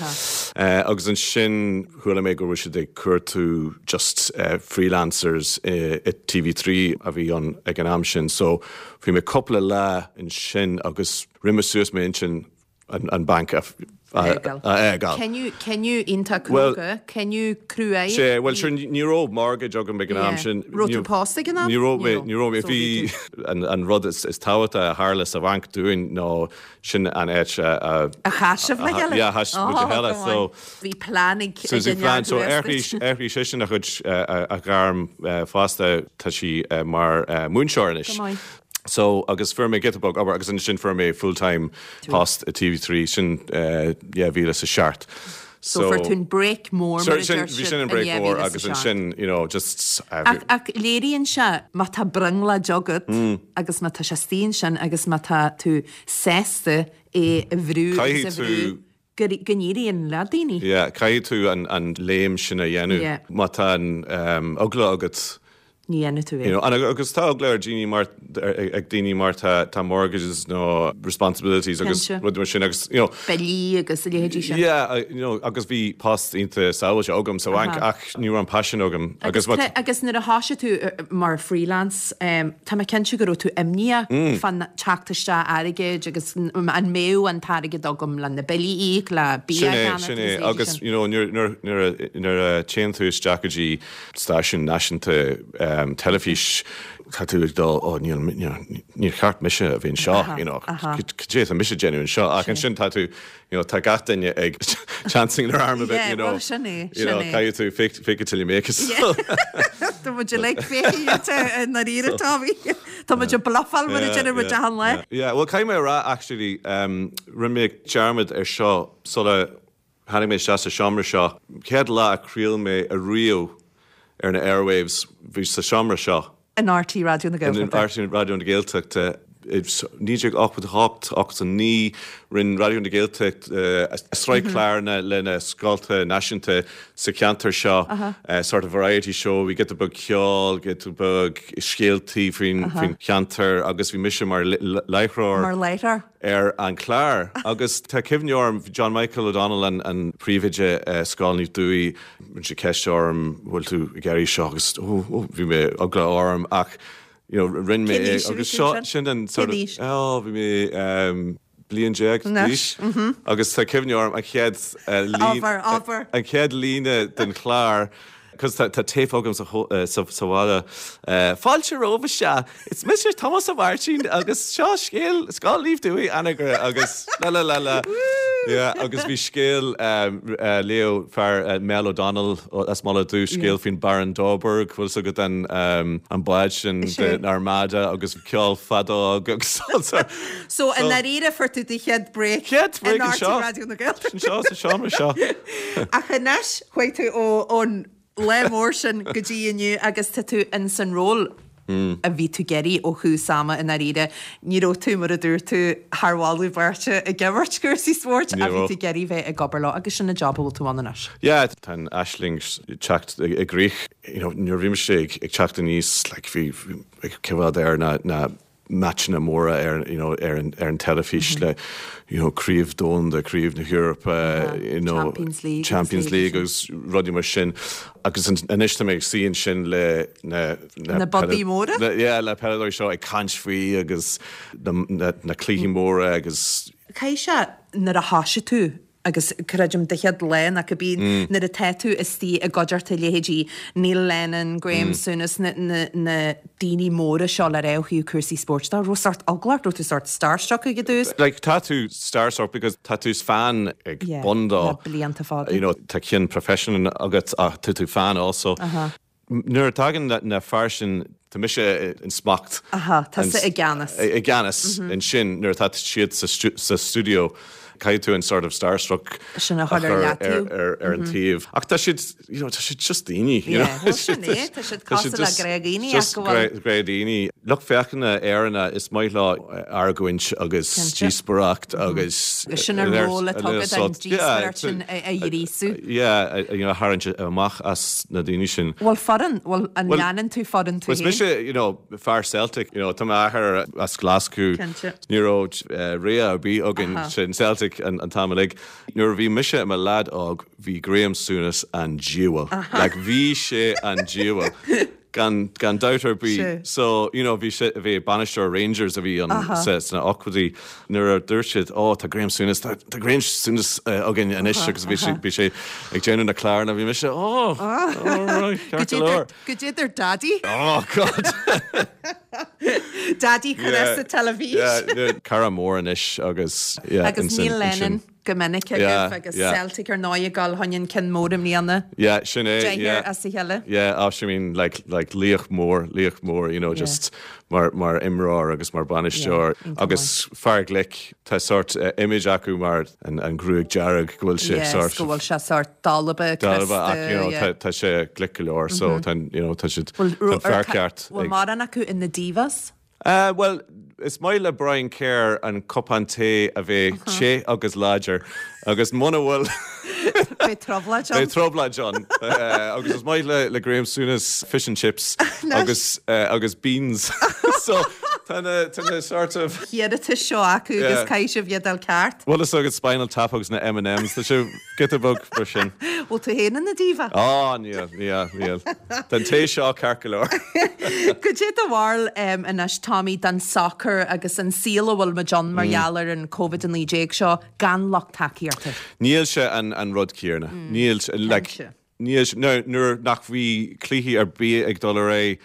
Speaker 6: Agus ansin chuala mé go raibh siad ag cuartú just freelancers i TV3 a bhí ann ag an am sin so bhí mé cúpla lá ansin agus rinne mé suas m'intinn an banc a fhágáil.
Speaker 1: Cinneadh iontach cróga, cinneadh cruaidh.
Speaker 6: Sea, bhuel sure ní raibh mortgage agam ag an am sin.
Speaker 1: Raibh tú pósta ag an am?
Speaker 6: Ní raibh mé, ní raibh mé. Bhí an rud is tábhachtaí a tharla sa bhanc dúinn ná sin an áit
Speaker 1: a. A chas sibh le chéile?
Speaker 6: Yeah, a chas muid le chéile, so.
Speaker 1: Bhí plean ag
Speaker 6: So bhí plean, so athraigh seisean a chuid, a ghairm fosta, tá sí mar múinteoir anois.
Speaker 1: Go maith.
Speaker 6: So, agus fuair mé giota beag obair agus ansin fuair mé full time post i TV3, sin 2007.
Speaker 1: So fuair tú an break mór mar a deir
Speaker 6: siad. Bhí sin an break mór agus ansin, you know, just.
Speaker 1: Ach, ach léiríonn sé má tá brionglóid agat agus má tá sé istigh ansin agus má tá tú sásta é a bhrú agus a bhrú go n-éiríonn le daoine.
Speaker 6: Yeah, caithfidh tú an léim sin a dhéanamh.
Speaker 1: Yeah.
Speaker 6: Má tá an eagla agat.
Speaker 1: Ní dhéanfaidh tú é.
Speaker 6: You know, agus tá eagla ar daoine mar, ag daoine mar tá, tá mortgages nó responsibilities agus rudaí mar sin agus, you know.
Speaker 1: Billí agus a leithéidí sin.
Speaker 6: Yeah, you know, agus bhí post iontach sábháilte agam sa bhanc ach ní raibh an paisean agam
Speaker 1: agus. Agus nuair a thosaigh tú mar freelance, tá mé cinnte go raibh tú imníoch fán teacht isteach airgid agus an mbeadh an t-airgead agam le na billí a íoc, le bia a cheannach
Speaker 6: Sin é, sin é. Agus, you know, nuair a, nuair a téann tú isteach go dtí stáisiún náisiúnta. teilifís, tá tú ag dul, oh níl, níor cheart mise a bheith anseo, you know, cad é atá mise ag déanamh anseo, ach ansin tá tú, you know, tá gach duine ag chancing their arm a bit, you know,
Speaker 1: Yeah, well sin é,
Speaker 6: you know,
Speaker 1: sin é.
Speaker 6: caithfidh tú fake, fake it till you make it.
Speaker 1: Yeah. Tá muid uilig fake it i ndáiríre, Tommy. Tá muid ag bluffáil mar a deireann muid achan lá.
Speaker 6: Yeah, well caithfidh mé a rá actually, rinne mé dearmad ar seo sula Tháinig mé isteach sa seomra seo. Chéad lá a chraol mé ariamh ar na airwaves, bhí sa seomra seo.
Speaker 1: In RTÉ Raidió na
Speaker 6: Gaeltachta. In RTÉ Raidió na Gaeltachta. I 1988, 89, rinne Raidió na Gaeltachta sraith cláranna le na scolta náisiúnta sa cheantar seo, sort of variety show, bhí giota beag ceoil, giota beag scéaltaí faoin cheantar agus bhí mise mar láithreoir.
Speaker 1: Mar láithreoir.
Speaker 6: ar an chlár agus tá cuimhne orm, bhí John Michael O'Donnell an príomhoide Scoil Naomh Dubhthaigh, rinne sé ceist orm bhfuil tú ag iarraidh seo agus oh oh bhí mé eagla orm ach you know rinne mé é agus seo sin an sort of oh bhí mé bliain déag d'aois agus tá cuimhne orm an chéad líne an chéad líne den chlár Cos tá tape agam sa bhaile. Fáilte romhaibh isteach. Is mise Tomás Ó Máirtín agus seo scéal Scoil Naomh Dubhthaigh, Anagaire agus la la la la. Yeah, agus bhí scéal léigh fear Mel O'Donnell as Mullach Dubh scéal faoin Baron Dorburg, bhfuil fhios agat an an bád sin den Armada agus ceol feadóg agus
Speaker 1: So i ndáiríre fuair tú do chéad break
Speaker 6: Chéad break
Speaker 1: in
Speaker 6: anseo.
Speaker 1: RTÉ Raidió na Gaeltachta.
Speaker 6: Anseo sa seomra seo.
Speaker 1: Ach anois, chuaigh tú ón lá mór sin go dtí inniu agus tá tú in san ról a bhí tú ag iarraidh ó thús ama i ndáiríre. Ní raibh tú, mar a dúirt tú, thar mholadh beirte ag imirt cúrsaí spóirt ach bhí tú ag iarraidh bheith ag obair leo agus sin an job a bhfuil tú ann anois.
Speaker 6: Yeah, tá an aisling ag teacht i gcrích. You know, nuair a bhí mise ag teacht aníos, like, bhí ag coimhéad ar na, na meaitseanna móra ar you know ar an ar an teilifís le you know craobh domhanda, craobh na hEorpa, you know
Speaker 1: Champions League
Speaker 6: Champions League agus rudaí mar sin agus anois tá mé ag suí ansin le na
Speaker 1: na budaí móra?
Speaker 6: Yeah, le peileadóirí seo ag caint faoi agus na na na cluichí móra agus
Speaker 1: Caithfidh sé nuair a thoisigh tú Agus creidim do chéad lá nó cibé nuair atá tú istigh i gcuideachta leithéidí Neil Lennon, Graeme Souness, na na daoine móra seo le rá ó thaobh cúrsaí spóirt de, raibh sórt eagla ort, raibh tú sórt starstruck ag an dtús?
Speaker 6: Like tá tú starstruck because tá tú fan ag bun dó.
Speaker 1: Yeah, le blianta fada.
Speaker 6: You know, tá ceann profession agat ach tá tú fan also. Nuair a tagann na fear sin, tá mise in smacht.
Speaker 1: Aha, tusa i gceannas.
Speaker 6: I gceannas ansin nuair atá siad sa stiúideo, caithfidh tú an sort of starstruck
Speaker 1: sin a chur ar leataobh.
Speaker 6: Ar an taobh. Ach tá siad, you know, tá siad just daoine.
Speaker 1: Yeah, well sin é, tá siad cosúil le gnáthdhaoine ach go bhfuil.
Speaker 6: Just gnáthdhaoine. Lucht féachana Éireannach, is maith leo argóint agus díospóireacht agus.
Speaker 1: Sin an ról atá agat an díospóireacht sin a ghríosú.
Speaker 6: Yeah, you know, a tharraingt amach as na daoine sin.
Speaker 1: Bhfuil foireann, bhfuil, an leanann tú foireann tú
Speaker 6: féin? Is mise, you know, fear Celtic, you know, tá m'athair as Glasgow.
Speaker 1: Cinnte.
Speaker 6: Ní raibh rogha ar bith againn sin Celtic an t-am uilig. Nuair a bhí mise i mo leaid óg, bhí Graeme Souness an diabhal. Like, bhí sé an diabhal. Gan, gan dabht ar bith. So, you know, bhí sé, bhí bainisteoir Rangers a bhí ann sa, sna ochtóidí nuair a dúirt siad, oh, tá Graeme Souness, tá, tá Graeme Souness againn anois agus bhí sé, bhí sé ag déanamh na cláranna, bhí mise, oh, alright, ceart go leor.
Speaker 1: Goidé dúirt Daddy.
Speaker 6: Oh, God!
Speaker 1: Daddy chun sa teilifís.
Speaker 6: Yeah, cara mór anois agus, yeah.
Speaker 1: Agus Neil Lennon. go minic agaibh agus Celtic ar ndóigh ag dul chun an ceann mór i mbliana.
Speaker 6: Yeah, sin é, yeah.
Speaker 1: Deichniúr as a chéile.
Speaker 6: Yeah, oh, I mean, like, like, laoch mór, laoch mór, you know, just mar, mar imreoir agus mar bainisteoir agus fear glic. Tá sort image acu mar an, an gruaig dearg go bhfuil sé
Speaker 1: Yes,
Speaker 6: sort.
Speaker 1: go bhfuil sé sort dalba,
Speaker 6: Dalba, ach, you know,
Speaker 1: crosta, yeah.
Speaker 6: tá, tá sé glic go leor, so tá, you know, tá siad, tá an fear ceart
Speaker 1: Bhfuil
Speaker 6: ag.
Speaker 1: mórán acu ina divas?
Speaker 6: Bhuel, is maith le Brian Kerr an cupán tae a bheith te agus láidir agus muna bhfuil.
Speaker 1: Beidh trioblóid ann.
Speaker 6: Beidh trioblóid ann. Agus is maith le Graeme Souness fish and chips agus agus beans. So tá na tá na sort of.
Speaker 1: hiarratais seo acu agus caithfidh sibh iad a fháil ceart.
Speaker 6: Bhfuil fhios agat Spinal Tap agus na M&M's, tá sé giota beag mar sin.
Speaker 1: Bhfuil tú féin ina diva?
Speaker 6: Á, níl, níl, níl. Tá an tae seo ceart go leor.
Speaker 1: Goidé do bharúil anois, Tommy, den sacar agus an saol a bhfuil muid ann mar gheall ar an Covid-19 seo gan lucht tacaíochta?
Speaker 6: Níl sé an rud céanna. Níl, like, níl sé, nuair nach bhí cluichí ar bith ag dul ar aghaidh,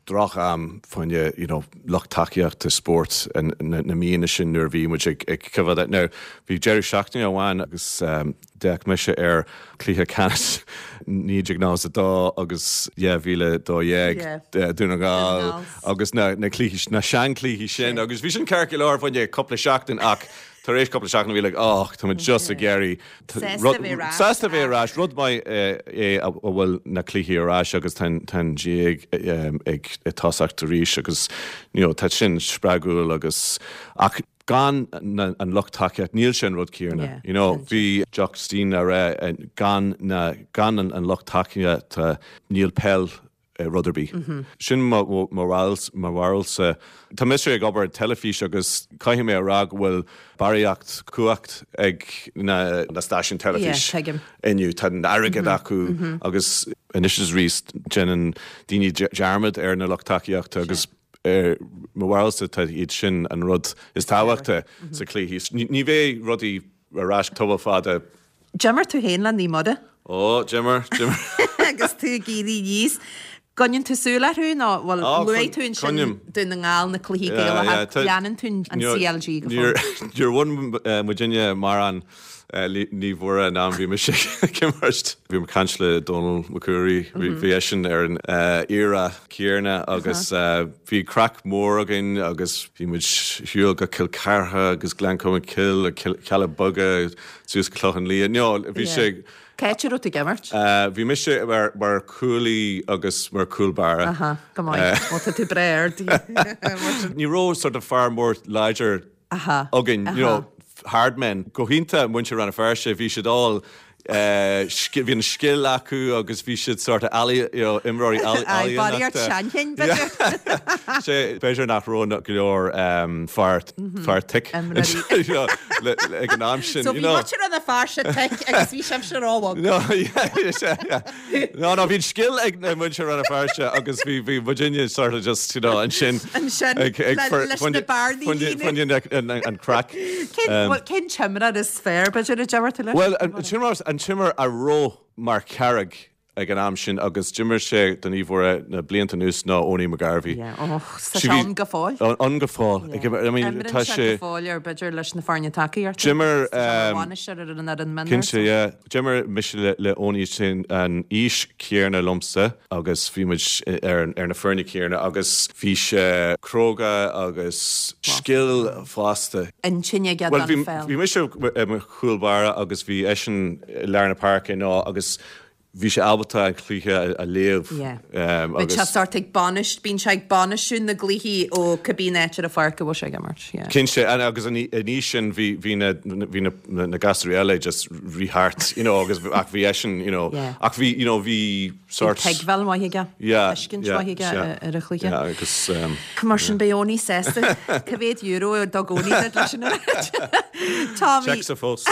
Speaker 6: droch-am fá choinne you know lucht tacaíochta spóirt na míonna sin nuair a bhí muid ag ag coimhéad. Now bhí deireadh seachtaine amháin agus d'fhéach mise ar cluiche ceannais 1992 agus 2012 Dún na nGall agus na na cluichí na seanchluichí sin agus bhí sin ceart go leor fá choinne cúpla seachtain ach tar éis cúpla seachtain bhí like oh tá muid just ag iarraidh
Speaker 1: Sásta bheith ar ais.
Speaker 6: Sásta bheith ar ais. Rud maith é a bhfuil na cluichí ar ais agus tá an GAA ag tosacht arís agus you know tá sin spreagúil agus ach gan an lucht tacaíocht níl sé an rud céanna. You know bhí Jock Stein á rá gan na gan an lucht tacaíochta níl peil rud ar bith. Sin mo bharúilsa. Tá mise ag obair teilifís agus caithfidh mé a rá go bhfuil barraíocht cumhacht ag na stáisiúin teilifís inniu. Tá an airgead acu agus anois is arís déanann daoine dearmad ar na lucht tacaíochta agus mo bharúilsa tá iad sin an rud is tábhachta sa cluiche. Ní bheidh rudaí ar ais tamall fada.
Speaker 1: D'imir tú féin le Naomh Muire?
Speaker 6: Ó, d'imir, d'imir.
Speaker 1: Agus tú ag éirí aníos. Coinníonn tú súil orthu nó, bhuel, luaigh tú ansin Dún na nGall, na cluichí Gaelacha, leanann tú an CLG go
Speaker 6: fóill? Níor bhain muidinne mórán Naomh Muire an am bhí mise ag imirt. Bhí mé ag caint le Dónal Mac Ruairí, bhí eisean ar an era céanna agus bhí craic mór againn agus bhí muid shiúl go Cill Chartha agus Gleann Cholm Cille, Cealla Beaga, suas go Clochán Liath. No, bhí sé.
Speaker 1: Cá háit a raibh tú ag imirt?
Speaker 6: Bhí mise mar mar cúlaí agus mar cúl báire.
Speaker 1: Aha, go maith. Ó, tá tú breá ard.
Speaker 6: Ní raibh sort of fear mór láidir againn, you know, hard men. Go hiontach muintir Rann na Feirste, bhí siad all bhí an scil acu agus bhí siad sort of ealaí, you know, imreoirí
Speaker 1: ealaíonachta. Barraíocht seanchinn,
Speaker 6: b'fhéidir. Sé, b'fhéidir nach raibh go leor fear, fear thick ag an am sin.
Speaker 1: So bhí muintir Rann na Feirste thick agus bhí sibhse róbhog.
Speaker 6: No, yeah, yeah. No, no, bhí an scil ag muintir Rann na Feirste agus bhí, bhí muidinne sort of just, you know, ansin.
Speaker 1: Ansin, leis na bearnaí a líonadh.
Speaker 6: An craic.
Speaker 1: Cén, bhuel, cén t-imreoir is fearr, b'fhéidir, a d'imir tú leis?
Speaker 6: Bhuel, an t-imreoir, an t-imreoir a raibh mar charraig ag an am sin agus d'imir sé do Naomh Mhuire na blianta anuas ná Owenie McGarvey.
Speaker 1: Yeah, oh, tá sé ann go fóill.
Speaker 6: Ann go fóill.
Speaker 1: Yeah. I mean, tá sé go fóill ar b'fhéidir leis na foirne tacaíochta.
Speaker 6: D'imir
Speaker 1: bhainisteoir ar an fhoireann mionúir.
Speaker 6: Cinnte, yeah. D'imir mise le le Owenie sin an aois chéanna liomsa agus bhí muid ar ar na foirne céanna agus bhí sé cróga agus scil fosta.
Speaker 1: Intinn aige don pheil.
Speaker 6: Bhuel, bhí mise i mo chúl báire agus bhí eisean i lár na páirce nó agus bhí sé ábalta an cluiche a léamh
Speaker 1: Yeah. Bíonn sé sort ag bainist, bíonn sé ag bainistiú na gcluichí ó cibé an áit ar an pháirc a bhfuil sé ag imirt. Yeah.
Speaker 6: Cinnte, agus an aois sin bhí bhí na bhí na na gasúirí eile just rith thart, you know, agus ach bhí eisean, you know,
Speaker 1: Yeah.
Speaker 6: ach bhí, you know, bhí sort.
Speaker 1: Bhí tuigbheáil mhaith aige,
Speaker 6: Yeah,
Speaker 1: tuiscint
Speaker 6: yeah,
Speaker 1: mhaith aige
Speaker 6: yeah.
Speaker 1: ar an chluiche.
Speaker 6: Yeah, agus um,
Speaker 1: Mar sin beidh Owenie sásta cá mhéad euro a dtug Owenie duit leis an óráid. Tommy,
Speaker 6: Téacsa fós.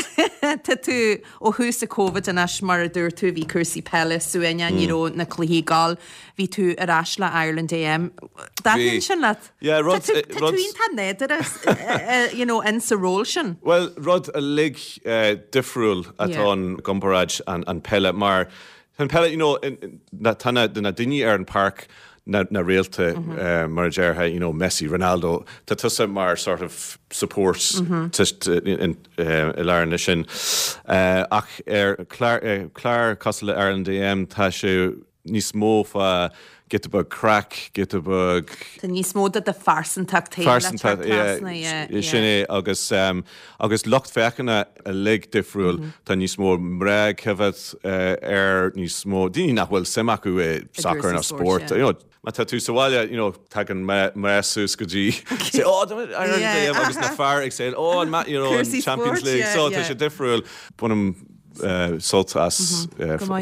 Speaker 1: tá tú Ó thús an Covid anois, mar a dúirt tú, bhí cúrsaí peile suaimhneach, ní raibh na cluichí ag gabháil. Bhí tú ar ais le Ireland AM. Dtaitníonn sin leat?
Speaker 6: Yeah, rud,
Speaker 1: Tá tú, tá tú iontach nádúrtha, you know, in sa ról sin.
Speaker 6: Bhuel, rud uilig difriúil atá ann i gcomparáid an peile mar An peile, you know, tá na daoine ar an páirc, na réalta, mar a déarfá, you know, Messi, Ronaldo, tá tusa mar sort of support i lár na sin. Ach ar chlár cosúil le Ireland AM, tá sé níos mó fá giota beag craic, giota beag.
Speaker 1: Tá níos mó de do phearsantacht féin le teacht trasna, yeah, yeah.
Speaker 6: Sin é, agus, agus lucht féachana uilig difriúil. Tá níos mó mná ag coimhéad air, níos mó daoine nach bhfuil suim acu i soccer nó spórt. You know, má tá tú sa bhaile, you know, tagann mná suas go dtí, say, oh, Ireland AM, agus na fear ag say, oh, an, you know, an Champions League. So tá sé difriúil. Bainim sult as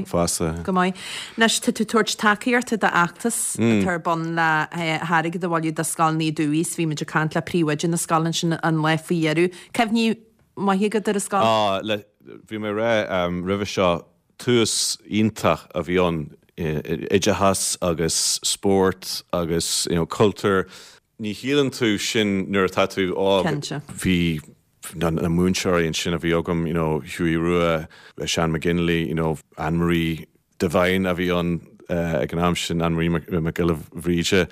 Speaker 6: fosta.
Speaker 1: Go maith. Anois, tá tú ag tabhairt tacaíochta d'fheachtas atá ar bun le hairgead a bhailiú do Scoil Naomh Dubhaigh. Bhí muid ag caint le príomhoide na scoile ansin an lá faoi dheireadh. Cuimhní maithe agat ar an scoil?
Speaker 6: Á, le, bhí mé ag rá roimhe seo, tús iontach a bhí ann, oideachas agus spórt agus, you know, cultúr. Ní shíleann tú sin nuair atá tú óg.
Speaker 1: Cinnte.
Speaker 6: Bhí na múinteoirí ansin a bhí agam, you know, Hughie Rua, Seán McGinley, you know, Anne-Marie Devine a bhí ann. ag an am sin, Anne Marie Mac Giolla Bhríde,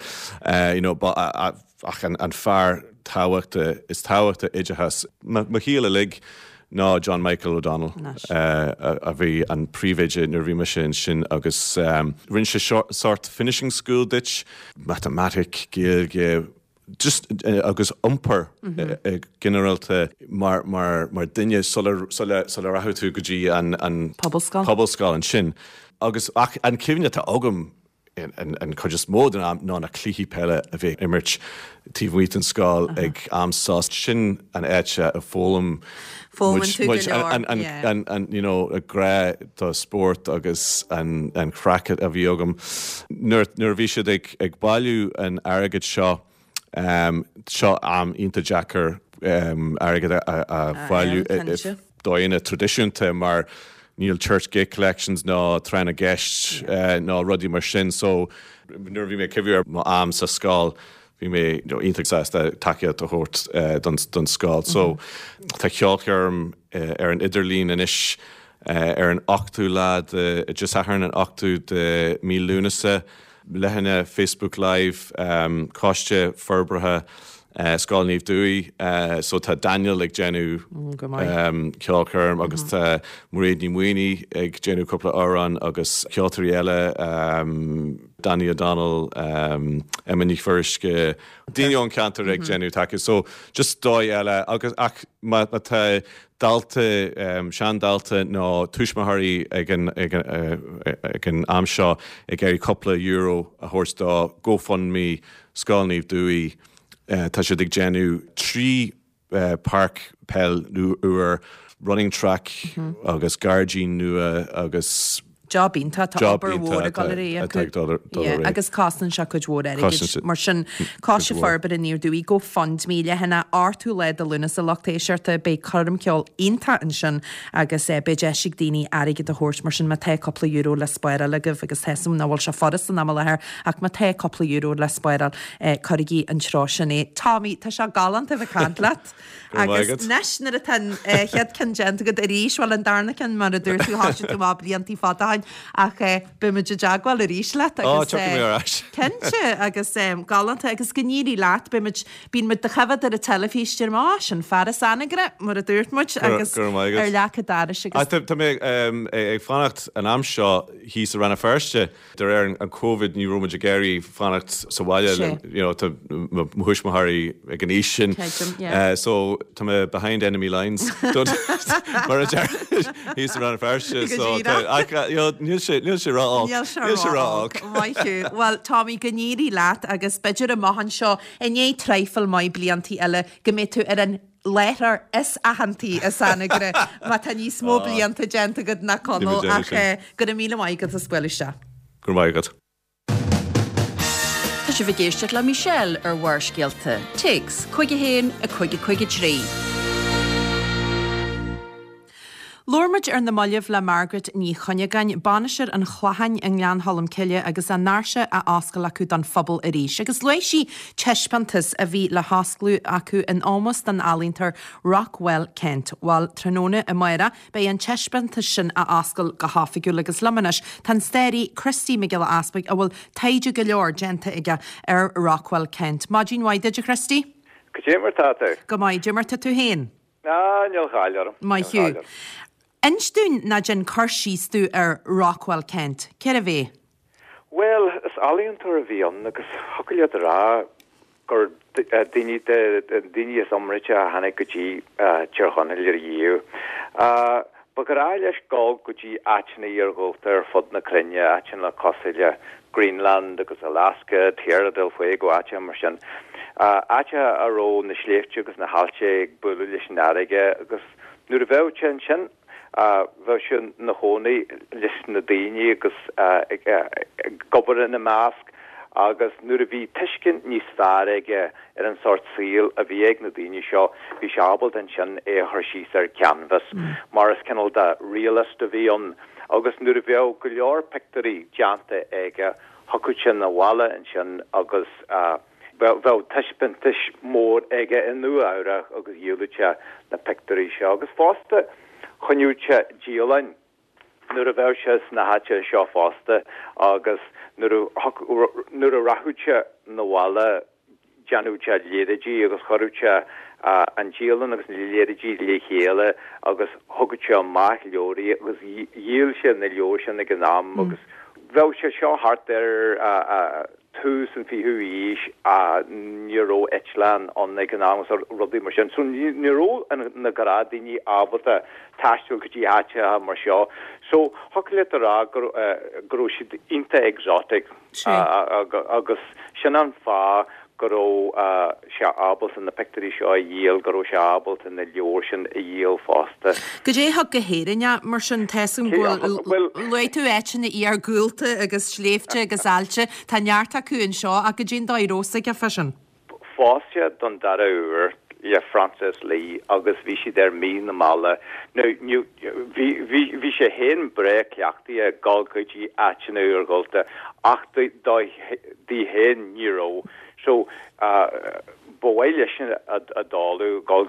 Speaker 6: you know, ach an fear tábhachta, is tábhachta oideachas mo shaol uilig ná John Michael O'Donnell a bhí an príomhoide nuair a bhí mise ansin agus rinne sé sórt finishing school duit, matamaitic, Gaeilge, just agus iompar ginearálta mar mar mar duine sula sula sula rachadh tú go dtí an an
Speaker 1: Pobalscoil.
Speaker 6: pobalscoil ansin. Agus ach an cuimhne atá agam an chuid is mó den am ná na cluichí peile a bhí ag imirt taobh amuigh den scoil ag am sos. Sin an áit a foghlaim muid an you know grá do spórt agus an an chraic a bhí agam. Nuair nuair a bhí siad ag ag bailiú an airgid seo seo am iontach deacair airgead a a bhailiú i dóigheanna traidisiúnta mar níl church gate collections ná tráth na gceist ná rudaí mar sin so nuair a bhí mé ag cuimhniú ar mo am sa scoil bhí mé iontach sásta tacaíocht a thabhairt don don scoil. So tá ceolchoirm ar an idirlíon anois ar an ochtú lá de Dé Sathairn an ochtú de mí Lúnasa. Leathanach Facebook Live Coiste Forbartha Scoil Naomh Dubhaigh so tá Daniel ag déanamh ceolchoirm agus tá Mairéad Ní Mhaonaigh ag déanamh cúpla amhrán agus ceoltóirí eile Danny O'Donnell, Emma Ní Fuirisce, daoine ón cheantar ag déanamh taca so just dóigh eile agus ach má tá dalta, seandalta nó tuismitheoirí ag an ag an am seo ag iarraidh cúpla euro a thabhairt do GoFundMe Scoil Naomh Dubhaigh. Tá siad ag déanamh 3 páirc peil úr, running track agus gairdín nua agus.
Speaker 1: Job iontach, tá obair mhór ag dul ar aghaidh acu. Agus cosnaíonn sé cuid mhór airgid. Mar sin, Coiste Forbartha Naomh Dubhaigh, GoFundMe, leathanach 8ú lá de Lúnasa lucht éisteachta, beidh coirm ceoil iontach ansin agus beidh deis ag daoine airgead a thabhairt, mar sin má tá cúpla euro le spáráil agaibh, agus tá 'fhios a'm nach bhfuil sé furast san am i láthair, ach má tá cúpla euro le spáráil, cuirigí an treo sin é. Tommy, tá sé galánta a bheith ag caint leat.
Speaker 6: Go raibh maith
Speaker 1: Agus
Speaker 6: agat.
Speaker 1: anois nuair atá an chéad ceann déanta agat arís, bhuel an darna ceann mar a dúirt tú, thoisigh tú amach bliantaí fada ó shin, ach beidh muid i dteagmháil arís leat
Speaker 6: Ó,
Speaker 1: agus
Speaker 6: tiocfaidh mé ar ais.
Speaker 1: cinnte agus galánta agus go n-éirí leat, beidh muid, bíonn muid do choimhéad ar an teilifís, deirim, á, sin fear as Anagaire, mar a dúirt muid,
Speaker 6: Go
Speaker 1: agus
Speaker 6: raibh maith agat.
Speaker 1: ar leac an dorais agus.
Speaker 6: Tá mé ag fanacht an am seo thíos i Rann na Feirste. De réir an Covid ní raibh muid ag iarraidh fanacht sa bhaile
Speaker 1: Sé.
Speaker 6: you know tá mo thuismitheoirí ag an aois sin
Speaker 1: Creidim, yeah.
Speaker 6: so tá mé behind enemy lines don't mar a deir thíos i Rann na Feirste
Speaker 1: Go
Speaker 6: so tá
Speaker 1: díreach.
Speaker 6: ach you know níl sé níl sé ró-olc.
Speaker 1: Níl sé
Speaker 6: Níl sé
Speaker 1: ró-olc.
Speaker 6: ró-olc.
Speaker 1: Maith thú. Bhuel, Tommy, go n-éirí leat agus b'fhéidir amach anseo i ndiaidh traidhfil maith bliantaí eile go mbeidh tú ar an láithreoir is aitheantaí as Anagaire má tá níos mó blianta déanta agat ná Conall ach go raibh míle maith agat as bualadh isteach.
Speaker 6: Go raibh maith agat.
Speaker 3: Tá sibh ag éisteacht le Michelle ar Bharrscéalta. Téacs 51 5 5 3.
Speaker 1: Labhair muid ar na mallaibh le Margaret Ní Chuinneagáin, Bainisteoir an Chlocháin i nGleann Cholm Cille agus a ndoirse á oscailt acu don phobal arís. Agus luaigh sí taispeántas a bhí le hosclú acu in ómós don ealaíontóir Rockwell Kent. Bhuel, tráthnóna amárach beidh an taispeántas sin á oscailt go hoifigiúil agus liom anois tá an staraí Christy Mac Giolla Easpaig a bhfuil taighde go leor déanta aige ar Rockwell Kent. Maidin mhaith duit a Christy.
Speaker 7: Cad é mar tá tú?
Speaker 1: Go maith, cad é mar tá tú féin?
Speaker 7: Ah, níl chaill orm.
Speaker 1: Maith thú. Inis dúinn ná déan cur síos dúinn ar Rockwell Kent. Cérbh é?
Speaker 7: Bhuel, is ealaíontóir a bhí ann agus thiocfadh leat a rá gur duine de na daoine is iomráite a tháinig go dtí Tír Chonaill ariamh. Ba ghnách leis dul go dtí áiteanna iarghúlta ar fud na cruinne, áiteanna cosúil le Greenland agus Alaska, Tierra del Fuego, áiteacha mar sin. Áiteacha a raibh na sléibhte agus na haillte ag bualadh leis an fharraige agus nuair a bheadh sé ansin, bheadh sé ina chónaí leis na daoine agus ag obair ina measc agus nuair a bhí tuiscint níos fearr aige ar an sórt saoil a bhí ag na daoine seo, bhí sé ábalta ansin é a chur síos ar canvas mar is cineál de realist a bhí ann agus nuair a bheadh go leor pictiúirí déanta aige, thiocfadh sé 'na bhaile ansin agus bheadh taispeántais mór aige i Nua Eabhrac agus dhíoladh sé na pictiúirí seo agus fosta choinneodh sé dialann. Nuair a bheadh sé sna háiteacha seo fosta agus nuair a nuair a rachadh sé 'na bhaile dhéanadh sé léaráidí agus chuireadh sé an dialann agus na léaráidí le chéile agus thugadh sé amach leabhraí agus dhíol sé na leabhair sin ag an am agus bheadh sé seo thart ar tús an fichiú aois ní raibh eitleán ann ag an am agus rudaí mar sin so ní raibh na gnáthdhaoine ábalta taisteal go dtí áiteacha mar seo so thiocfadh leat a rá go raibh siad iontach exotic agus sin an fáth go raibh sé ábalta na pictiúirí seo a dhíol, go raibh sé ábalta na leabhair sin a dhíol fosta.
Speaker 1: Goidé a thug go hÉirinn é, mar sin? Tá 'fhios agam go bhfuil, luaigh tú áiteanna iargúlta agus sléibhte agus aillte, tá neart acu anseo, ach goidé an dóigh a raibh 'fhios aige fá sin?
Speaker 7: Phós sé don dara huair le Frances Lee agus bhí siad ar mí na meala. Now, ní, bhí, bhí, bhí sé féin breá cleachtaithe ag dul go dtí áiteanna iargúlta ach do, do, di féin ní raibh. So, ba mhaith leis a dul, dul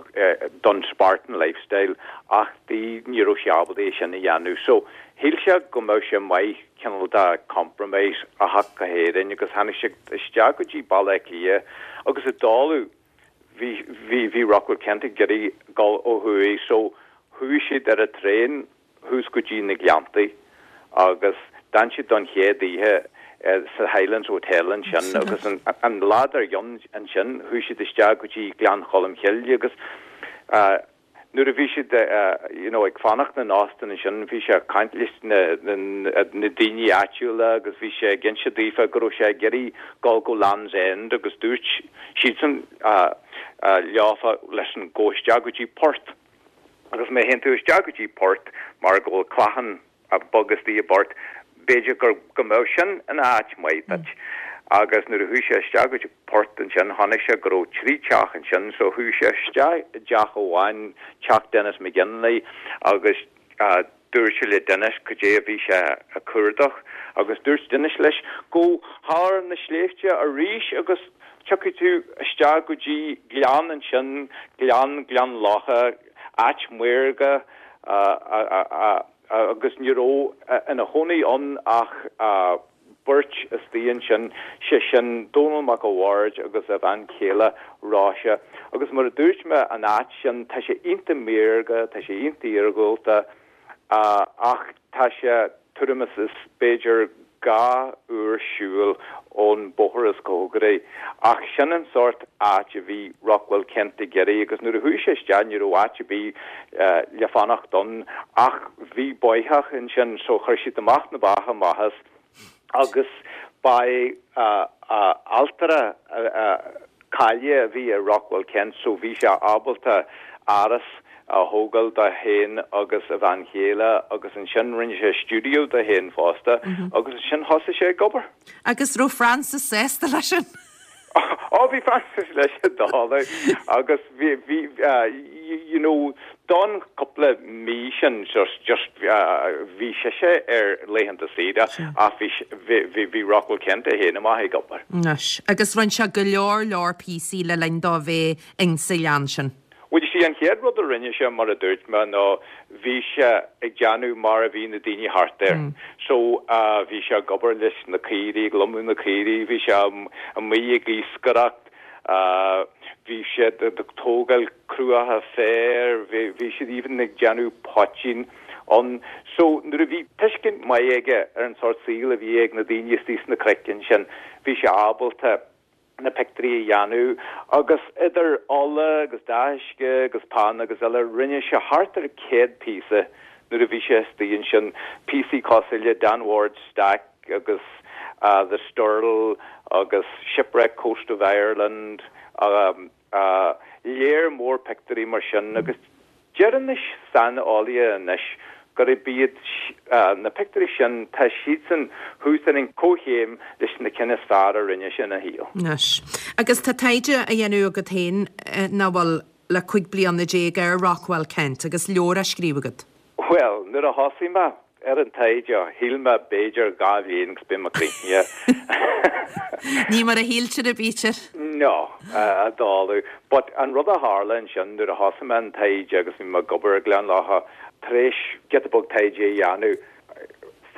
Speaker 7: don Spartan lifestyle ach di ní raibh sé ábalta é sin a dhéanamh. So, shíl sé go mbeadh sé maith cineál de compromise a theacht go hÉirinn agus tháinig sé isteach go dtí Baile Átha Cliath agus i dtólamh bhí, bhí, bhí Rockwell Kent ag iarraidh dul ó thuaidh so chuaigh siad ar an traein thuas go dtí na Gleanntaí agus d'fhan siad don chéad oíche sa Highlands Hotel ansin agus an lá dár gcionn ansin chuaigh siad isteach go dtí Gleann Cholm Chille agus nuair a bhí siad you know ag fanacht in óstán ansin bhí sé ag caint leis na na daoine áitiúla agus bhí sé ag inse daofa go raibh sé ag iarraidh dul go Land's End agus dúirt siadsan leofa listen gabh isteach go dtí Port. Agus má théann tú isteach go dtí Port, mar go bhfuil clachán beag istigh i bPort, b'fhéidir gur, go mbeadh sin ina áit maith duit. Agus nuair a chuaigh sé isteach go dtí Port ansin, chonaic sé go raibh trí teach ansin, so chuaigh sé isteach i dteach amháin, teach Denis McGinley, agus Dúirt sé le Denis cad é a bhí sé a cuardach agus dúirt Denis leis, Gabh thar na sléibhte arís agus tiocfaidh tú isteach go dtí gleann ansin, gleann Gleann Locha, áit maorga agus ní raibh ina chónaí ann ach beirt istigh ansin, sé sin Dónall Mac a' Bhaird agus a bhean chéile Róise. Agus mar a dúirt mé, an áit sin, tá sé iontach maorga, tá sé iontach iargúlta, ach tá sé tuairim is is b'fhéidir 2 uair siúil ón bóthar is cóngaraí. Ach sin an sórt áit a bhí Rockwell Kent ag iarraidh agus nuair a chuaigh sé isteach ní raibh áit ar bith le fanacht ann ach bhí bóitheach ansin so chuir siad amach na ba amach as agus ba é ailtire cáilithe a bhí i Rockwell Kent so bhí sé ábalta áras a thógáil dó féin agus a bhean chéile agus ansin rinne sé stiúideo dó féin fosta agus ansin thosaigh sé ag obair.
Speaker 1: Agus raibh Frances sásta leis sin?
Speaker 7: Ó bhí Frances leis an dála agus bhí, bhí, you know, don cúpla mí sin just, just bhí sise ar laethanta saoire ach bhí, bhí, bhí Rockwell Kent é féin amach ag obair.
Speaker 1: Anois, agus rinne sé go leor leor píosaí le linn dó bheith insa ghleann sin.
Speaker 7: Bhuel, you see, an chéad rud a rinne sé, mar a dúirt mé, ná bhí sé ag déanamh mar a bhí na daoine thart air. So, bhí sé ag obair leis na caoirigh, ag lomadh na caoirigh, bhí sé amuigh ag iascaireacht, bhí siad ag tógáil cruacha féir, bhí siad even ag déanamh poitín ann. So, nuair a bhí tuiscint maith aige ar an sórt saoil a bhí ag na daoine istigh sna cnoic ansin, bhí sé ábalta na pictiúirí a dhéanamh agus idir ola agus dath uisce agus peann agus eile rinne sé thart ar 100 píosa nuair a bhí sé istigh ansin, píosaí cosúil le Dan Ward's Stack agus The Sturl agus Shipwreck Coast of Ireland, léar mór pictiúirí mar sin agus Deireann na saineolaithe anois gurb iad na pictiúirí sin, tá siadsan thuas ar an comhchéim leis na cinn is fearr a rinne sé ina shaol.
Speaker 1: Anois, agus tá taighde á dhéanamh agat féin, nach bhfuil, le 15 bliana ar Rockwell Kent agus leabhar á scríobh agat.
Speaker 7: Bhuel, nuair a thosaigh mé ar an taighde, shíl mé b'fhéidir 2 bhliain agus beidh mé críochnaithe.
Speaker 1: Ní mar a shíltear a bítear.
Speaker 7: No, a dáileadh. But an rud a tharla ansin nuair a thosaigh mé an taighde agus bhí mé ag obair i Gleann Locha, tar éis giota beag taighde a dhéanamh,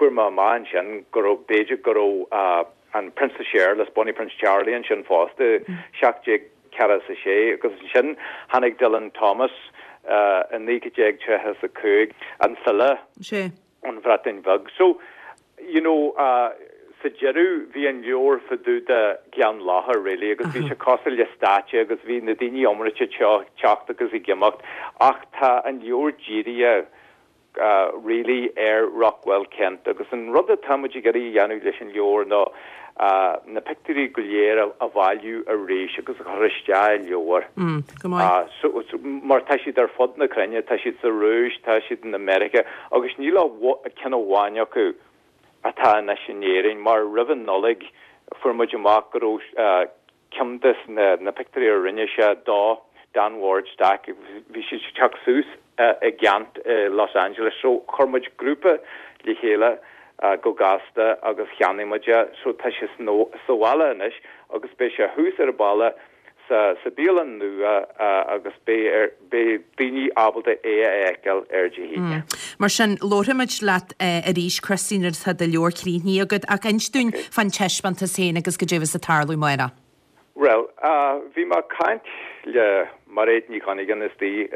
Speaker 7: Fuair mé amach ansin go raibh, b'fhéidir go raibh an Prionsa Séarlas, Bonnie Prince Charlie ansin fosta, 1746, agus ansin tháinig Dylan Thomas i 1935, an file ón Bhreatain Bheag. So, you know, sa deireadh bhí an leabhar fá dtaobh de Ghleann Locha really agus bhí sé cosúil le stáitse agus bhí na daoine iomráite teacht agus ag imeacht ach tá an leabhar dírithe really ar Rockwell Kent agus an rud atá muid ag iarraidh a dhéanamh leis an leabhar ná na pictiúirí go léir a bhailiú arís agus a chur isteach i leabhar.
Speaker 1: Go maith.
Speaker 7: So, mar tá siad ar fud na cruinne, tá siad sa Rúis, tá siad in America agus níl ach ceann amháin acu atá anois in Éirinn mar roimh an Nollaig fuair muid amach go raibh ceann de na pictiúirí a rinne sé do Dan Ward Stack, bhí siad ag teacht suas i gceant i Los Angeles so chuir muid grúpa le chéile go gasta agus cheannaigh muid é so tá sé sa bhaile anois agus beidh sé thuas ar an bhalla sa bialann nua agus beidh beidh daoine ábalta é a fheiceáil ar Dé hAoine.
Speaker 1: Mar sin, labharfaimid leat arís, Christy, nuair atá do leabhar críochnaithe agat, ach inis dúinn fán taispeántas féin agus goidé a bheas ag tarlú amárach.
Speaker 7: Bhuel, bhí mé ag caint le Mairéad Ní Dhonnagáin istigh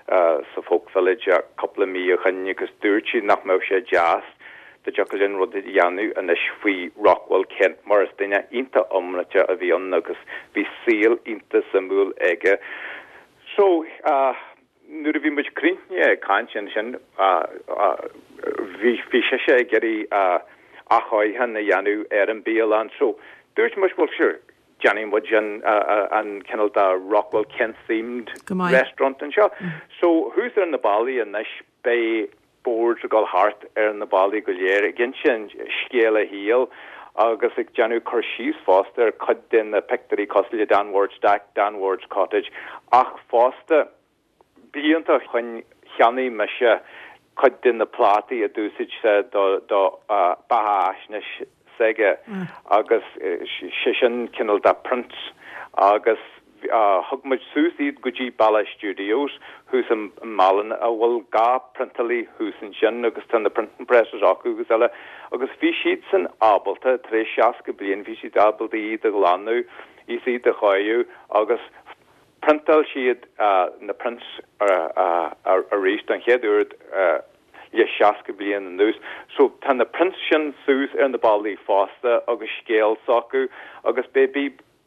Speaker 7: sa Folk Village cúpla mí ó shoin agus dúirt sí nach mbeadh sé deas dá dtiocfadh linn rud a dhéanamh anois faoi Rockwell Kent mar is duine iontach iomráiteach a bhí ann agus bhí saol iontach suimiúil aige. So, nuair a bhí muid críochnaithe ag caint ansin, bhí, bhí sise ag iarraidh athchóiriúchán a dhéanamh ar an bialann. So, dúirt muid, well sure, déanfaidh muid an, an cineál de Rockwell Kent themed restaurant anseo. So, thuas ar na ballaí anois, beidh boards ag dul thart ar na ballaí go léir ag insint scéal a shaoil agus ag déanamh cur síos fosta ar cuid de na pictiúirí cosúil le Dan Ward's Stack, Dan Ward's Cottage ach fosta blianta ó shoin cheannaigh mise cuid de na plátaí a d'úsáid sé do do beathaisnéis s'aige agus sé sin cineál de prints agus thug muid suas iad go dtí Balla Studios thuas i Málainn a bhfuil dhá priontálaí thuas ansin agus tá na printing presses acu agus eile agus bhí siadsan ábalta, tar éis 60 bliain, bhí siad ábalta iad a ghlanadh is iad a chóiriú agus priontáil siad na prints arís don chéad uair le 60 bliain anuas. So tá na prints sin suas ar na ballaí fosta agus scéal s'acu agus beidh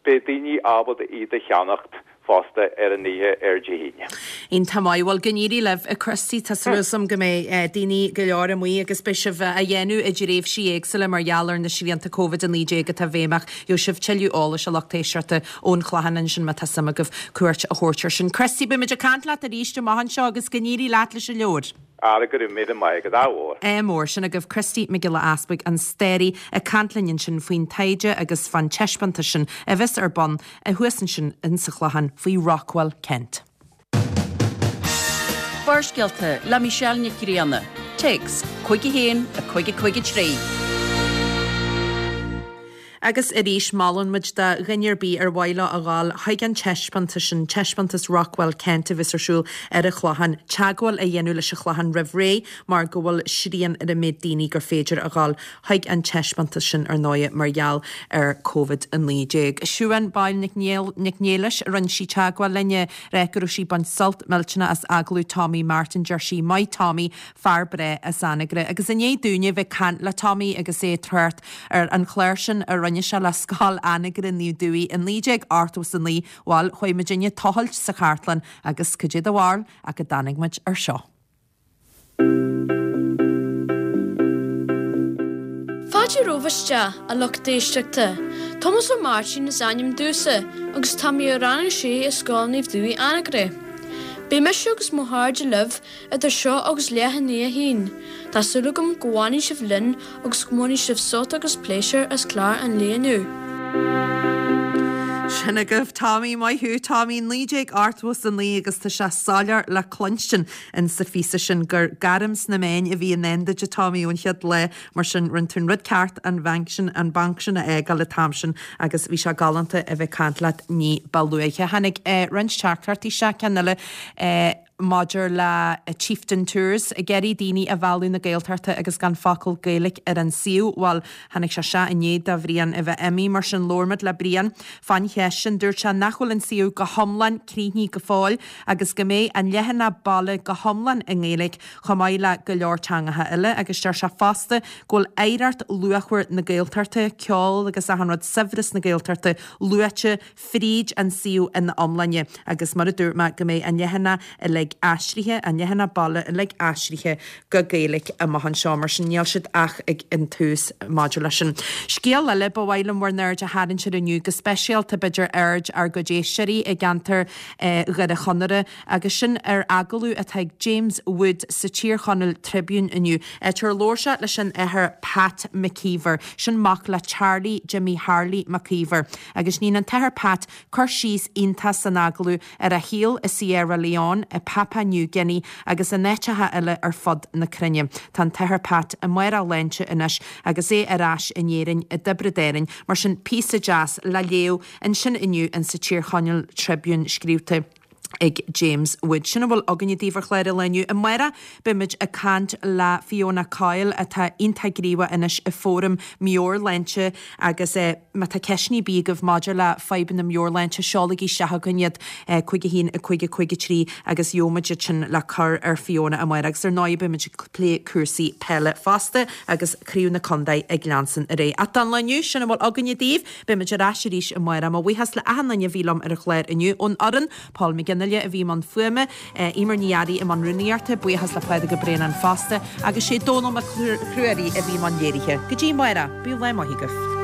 Speaker 7: beidh daoine ábalta iad a cheannacht fosta ar an oíche ar Dé hAoine.
Speaker 1: Iontach maith. Bhuel, go n-éirí libh, a Christy. Tá súil agam go mbeidh daoine go leor amuigh agus beidh sibh á dhéanamh i dtréimhsí éagsúla mar gheall ar na srianta Covid-19 atá i bhfeidhm ach gheobhaidh sibh tuilleadh eolais, a lucht éisteachta, ón Chlochán ansin má tá suim agaibh cuairt a thabhairt air sin. Christy, beidh muid ag caint leat arís amach anseo agus go n-éirí leat leis an leabhar.
Speaker 7: Ara, go raibh míle maith agat, ádh mhór.
Speaker 1: Ádh mór. Sin agaibh Christy Mac Giolla Easbuig, an staraí, ag caint linn ansin faoin taighde agus fán taispeántas sin a bheas ar bun thuas ansin insa Chlochán faoi Rockwell Kent.
Speaker 3: Barrscéalta le Michelle Nic Grianna. Téacs, 51 553.
Speaker 1: Agus arís, molann muid do dhuine ar bith ar mhaith leo a ghabháil chuig an taispeántas sin, Taispeántas Rockwell Kent a bheas ar siúl ar an Chlochán, teagmháil a dhéanamh leis an Chlochán roimh ré mar go bhfuil srian ar an méid daoine gur féidir a ghabháil chuig an taispeántas sin ar ndóighe mar gheall ar Covid-19. Siubhán Boyle Nic Niallais, rinne sí teagmháil linn ag rá go raibh sí ag baint sult millteanach as agallamh Tommy Martin, deir sí, Maith Tommy, fear breá as Anagaire. Agus i ndiaidh dúinne bheith ag caint le Tommy agus é ag trácht ar an chlár sin a rinne sé le Scoil Anagaire Naomh Dubhthaigh i 1989, bhuel, chuaigh muidinne ag tochailt sa chartlann agus cad é do bharúil ach go dtáinig muid ar seo.
Speaker 8: Fáilte romhaibh isteach, a lucht éisteachta. Tomás Ó Máirtín is ainm domhsa agus tá mé i rang a sé i Scoil Naomh Dubhthaigh Anagaire. Beidh mise agus mo chairde libh Idir seo agus leath i ndiaidh a haon, tá súil agam go bhfanfaidh sibh linn agus go mbainfidh sibh sult agus pléisiúr as clár an lae inniu.
Speaker 1: Sin agaibh Tommy, maith thú Tommy, 1989 agus tá sé soiléir le cluinstin in sa phíosa sin gur gairm sna meáin a bhí i ndán duit a Tommy ón chéad lá, mar sin rinne tú an rud ceart an bhanc sin, an banc sin a fhágáil an t-am sin agus bhí sé galánta a bheith ag caint leat ní ba luaithe. Tháinig roinnt teachtaireachtaí isteach, ceann eile. maidir le Chieftain Tours, ag iarraidh daoine a mhealladh na Gaeltachta agus gan focal Gaeilge ar an suíomh. Bhuel, tháinig sé seo i ndiaidh do Bhrian a bheith imithe, mar sin labhair muid le Brian fán cheist sin. Dúirt sé nach bhfuil an suíomh go hiomlán críochnaithe go fóill agus go mbeidh an leathanach baile go hiomlán i nGaeilge chomh maith le go leor teangacha eile agus deir sé fosta go bhfuil oidhreacht luachmhar na Gaeltachta, ceol agus achan rud, saibhreas na Gaeltachta luaite fríd an suíomh ina iomláine agus mar a dúirt mé go mbeidh an leathanach uilig aistrithe, an leathanach baile uilig aistrithe go Gaeilge amach anseo mar sin níl siad ach ag an tús maidir leis sin. Scéal eile ba mhaith liom bhur n-aird a tharraingt air inniu, go speisialta b'fhéidir aird ár gcuid éisteoirí i gceantar Dhoire Chonaire agus sin ar agallamh atá ag James Wood sa Tír Chonaill Tribune inniu, áit ar labhair sé leis an Athair Pat McKeever, sin mac le Charlie Jimmy Harley McKeever. Agus níonn an tAthair Pat cur síos iontach san agallamh ar a shaol i Sierra Leone, i Papua New Guinea agus in áiteacha eile ar fud na cruinne. Tá an tAthair Pat i mbarr a shláinte anois agus é ar ais in Éirinn i dTiobraid Árainn, mar sin píosa deas le léamh ansin inniu in sa Tír Chonaill Tribune scríobhta ag James Wood. Sin a bhfuil againne daoibh ar chlár an lae inniu. Amárach beimid ag caint le Fiona Coyle atá iontach gníomhach anois i Fóram Meabhairshláinte agus má tá ceisteanna ar bith agaibh maidir le fadhbanna meabhairshláinte seolaigí isteach chugainn iad 5 1 5 5 3 agus gheobhaimid iad sin le cur ar Fiona amárach. Agus ar ndóigh beimid ag plé cúrsaí peile fosta agus Craobh na Contae ag leanstan ar aghaidh. Ach don lá inniu sin a bhfuil againne daoibh. Beimid ar ais arís amárach. Mo bhuíochas le achan duine a bhí liom ar an chlár inniu. Ón fhoireann, Paul McGinley a bhí i mbun fuaime, Eimear Ní Fhearraigh i mbun rúnaíochta, buíochas le Pádraig Ó Braonáin fosta, agus sé Dónall Mac Ruairí a bhí i mbun léirithe. Go dtí amárach, bíodh lá maith agaibh.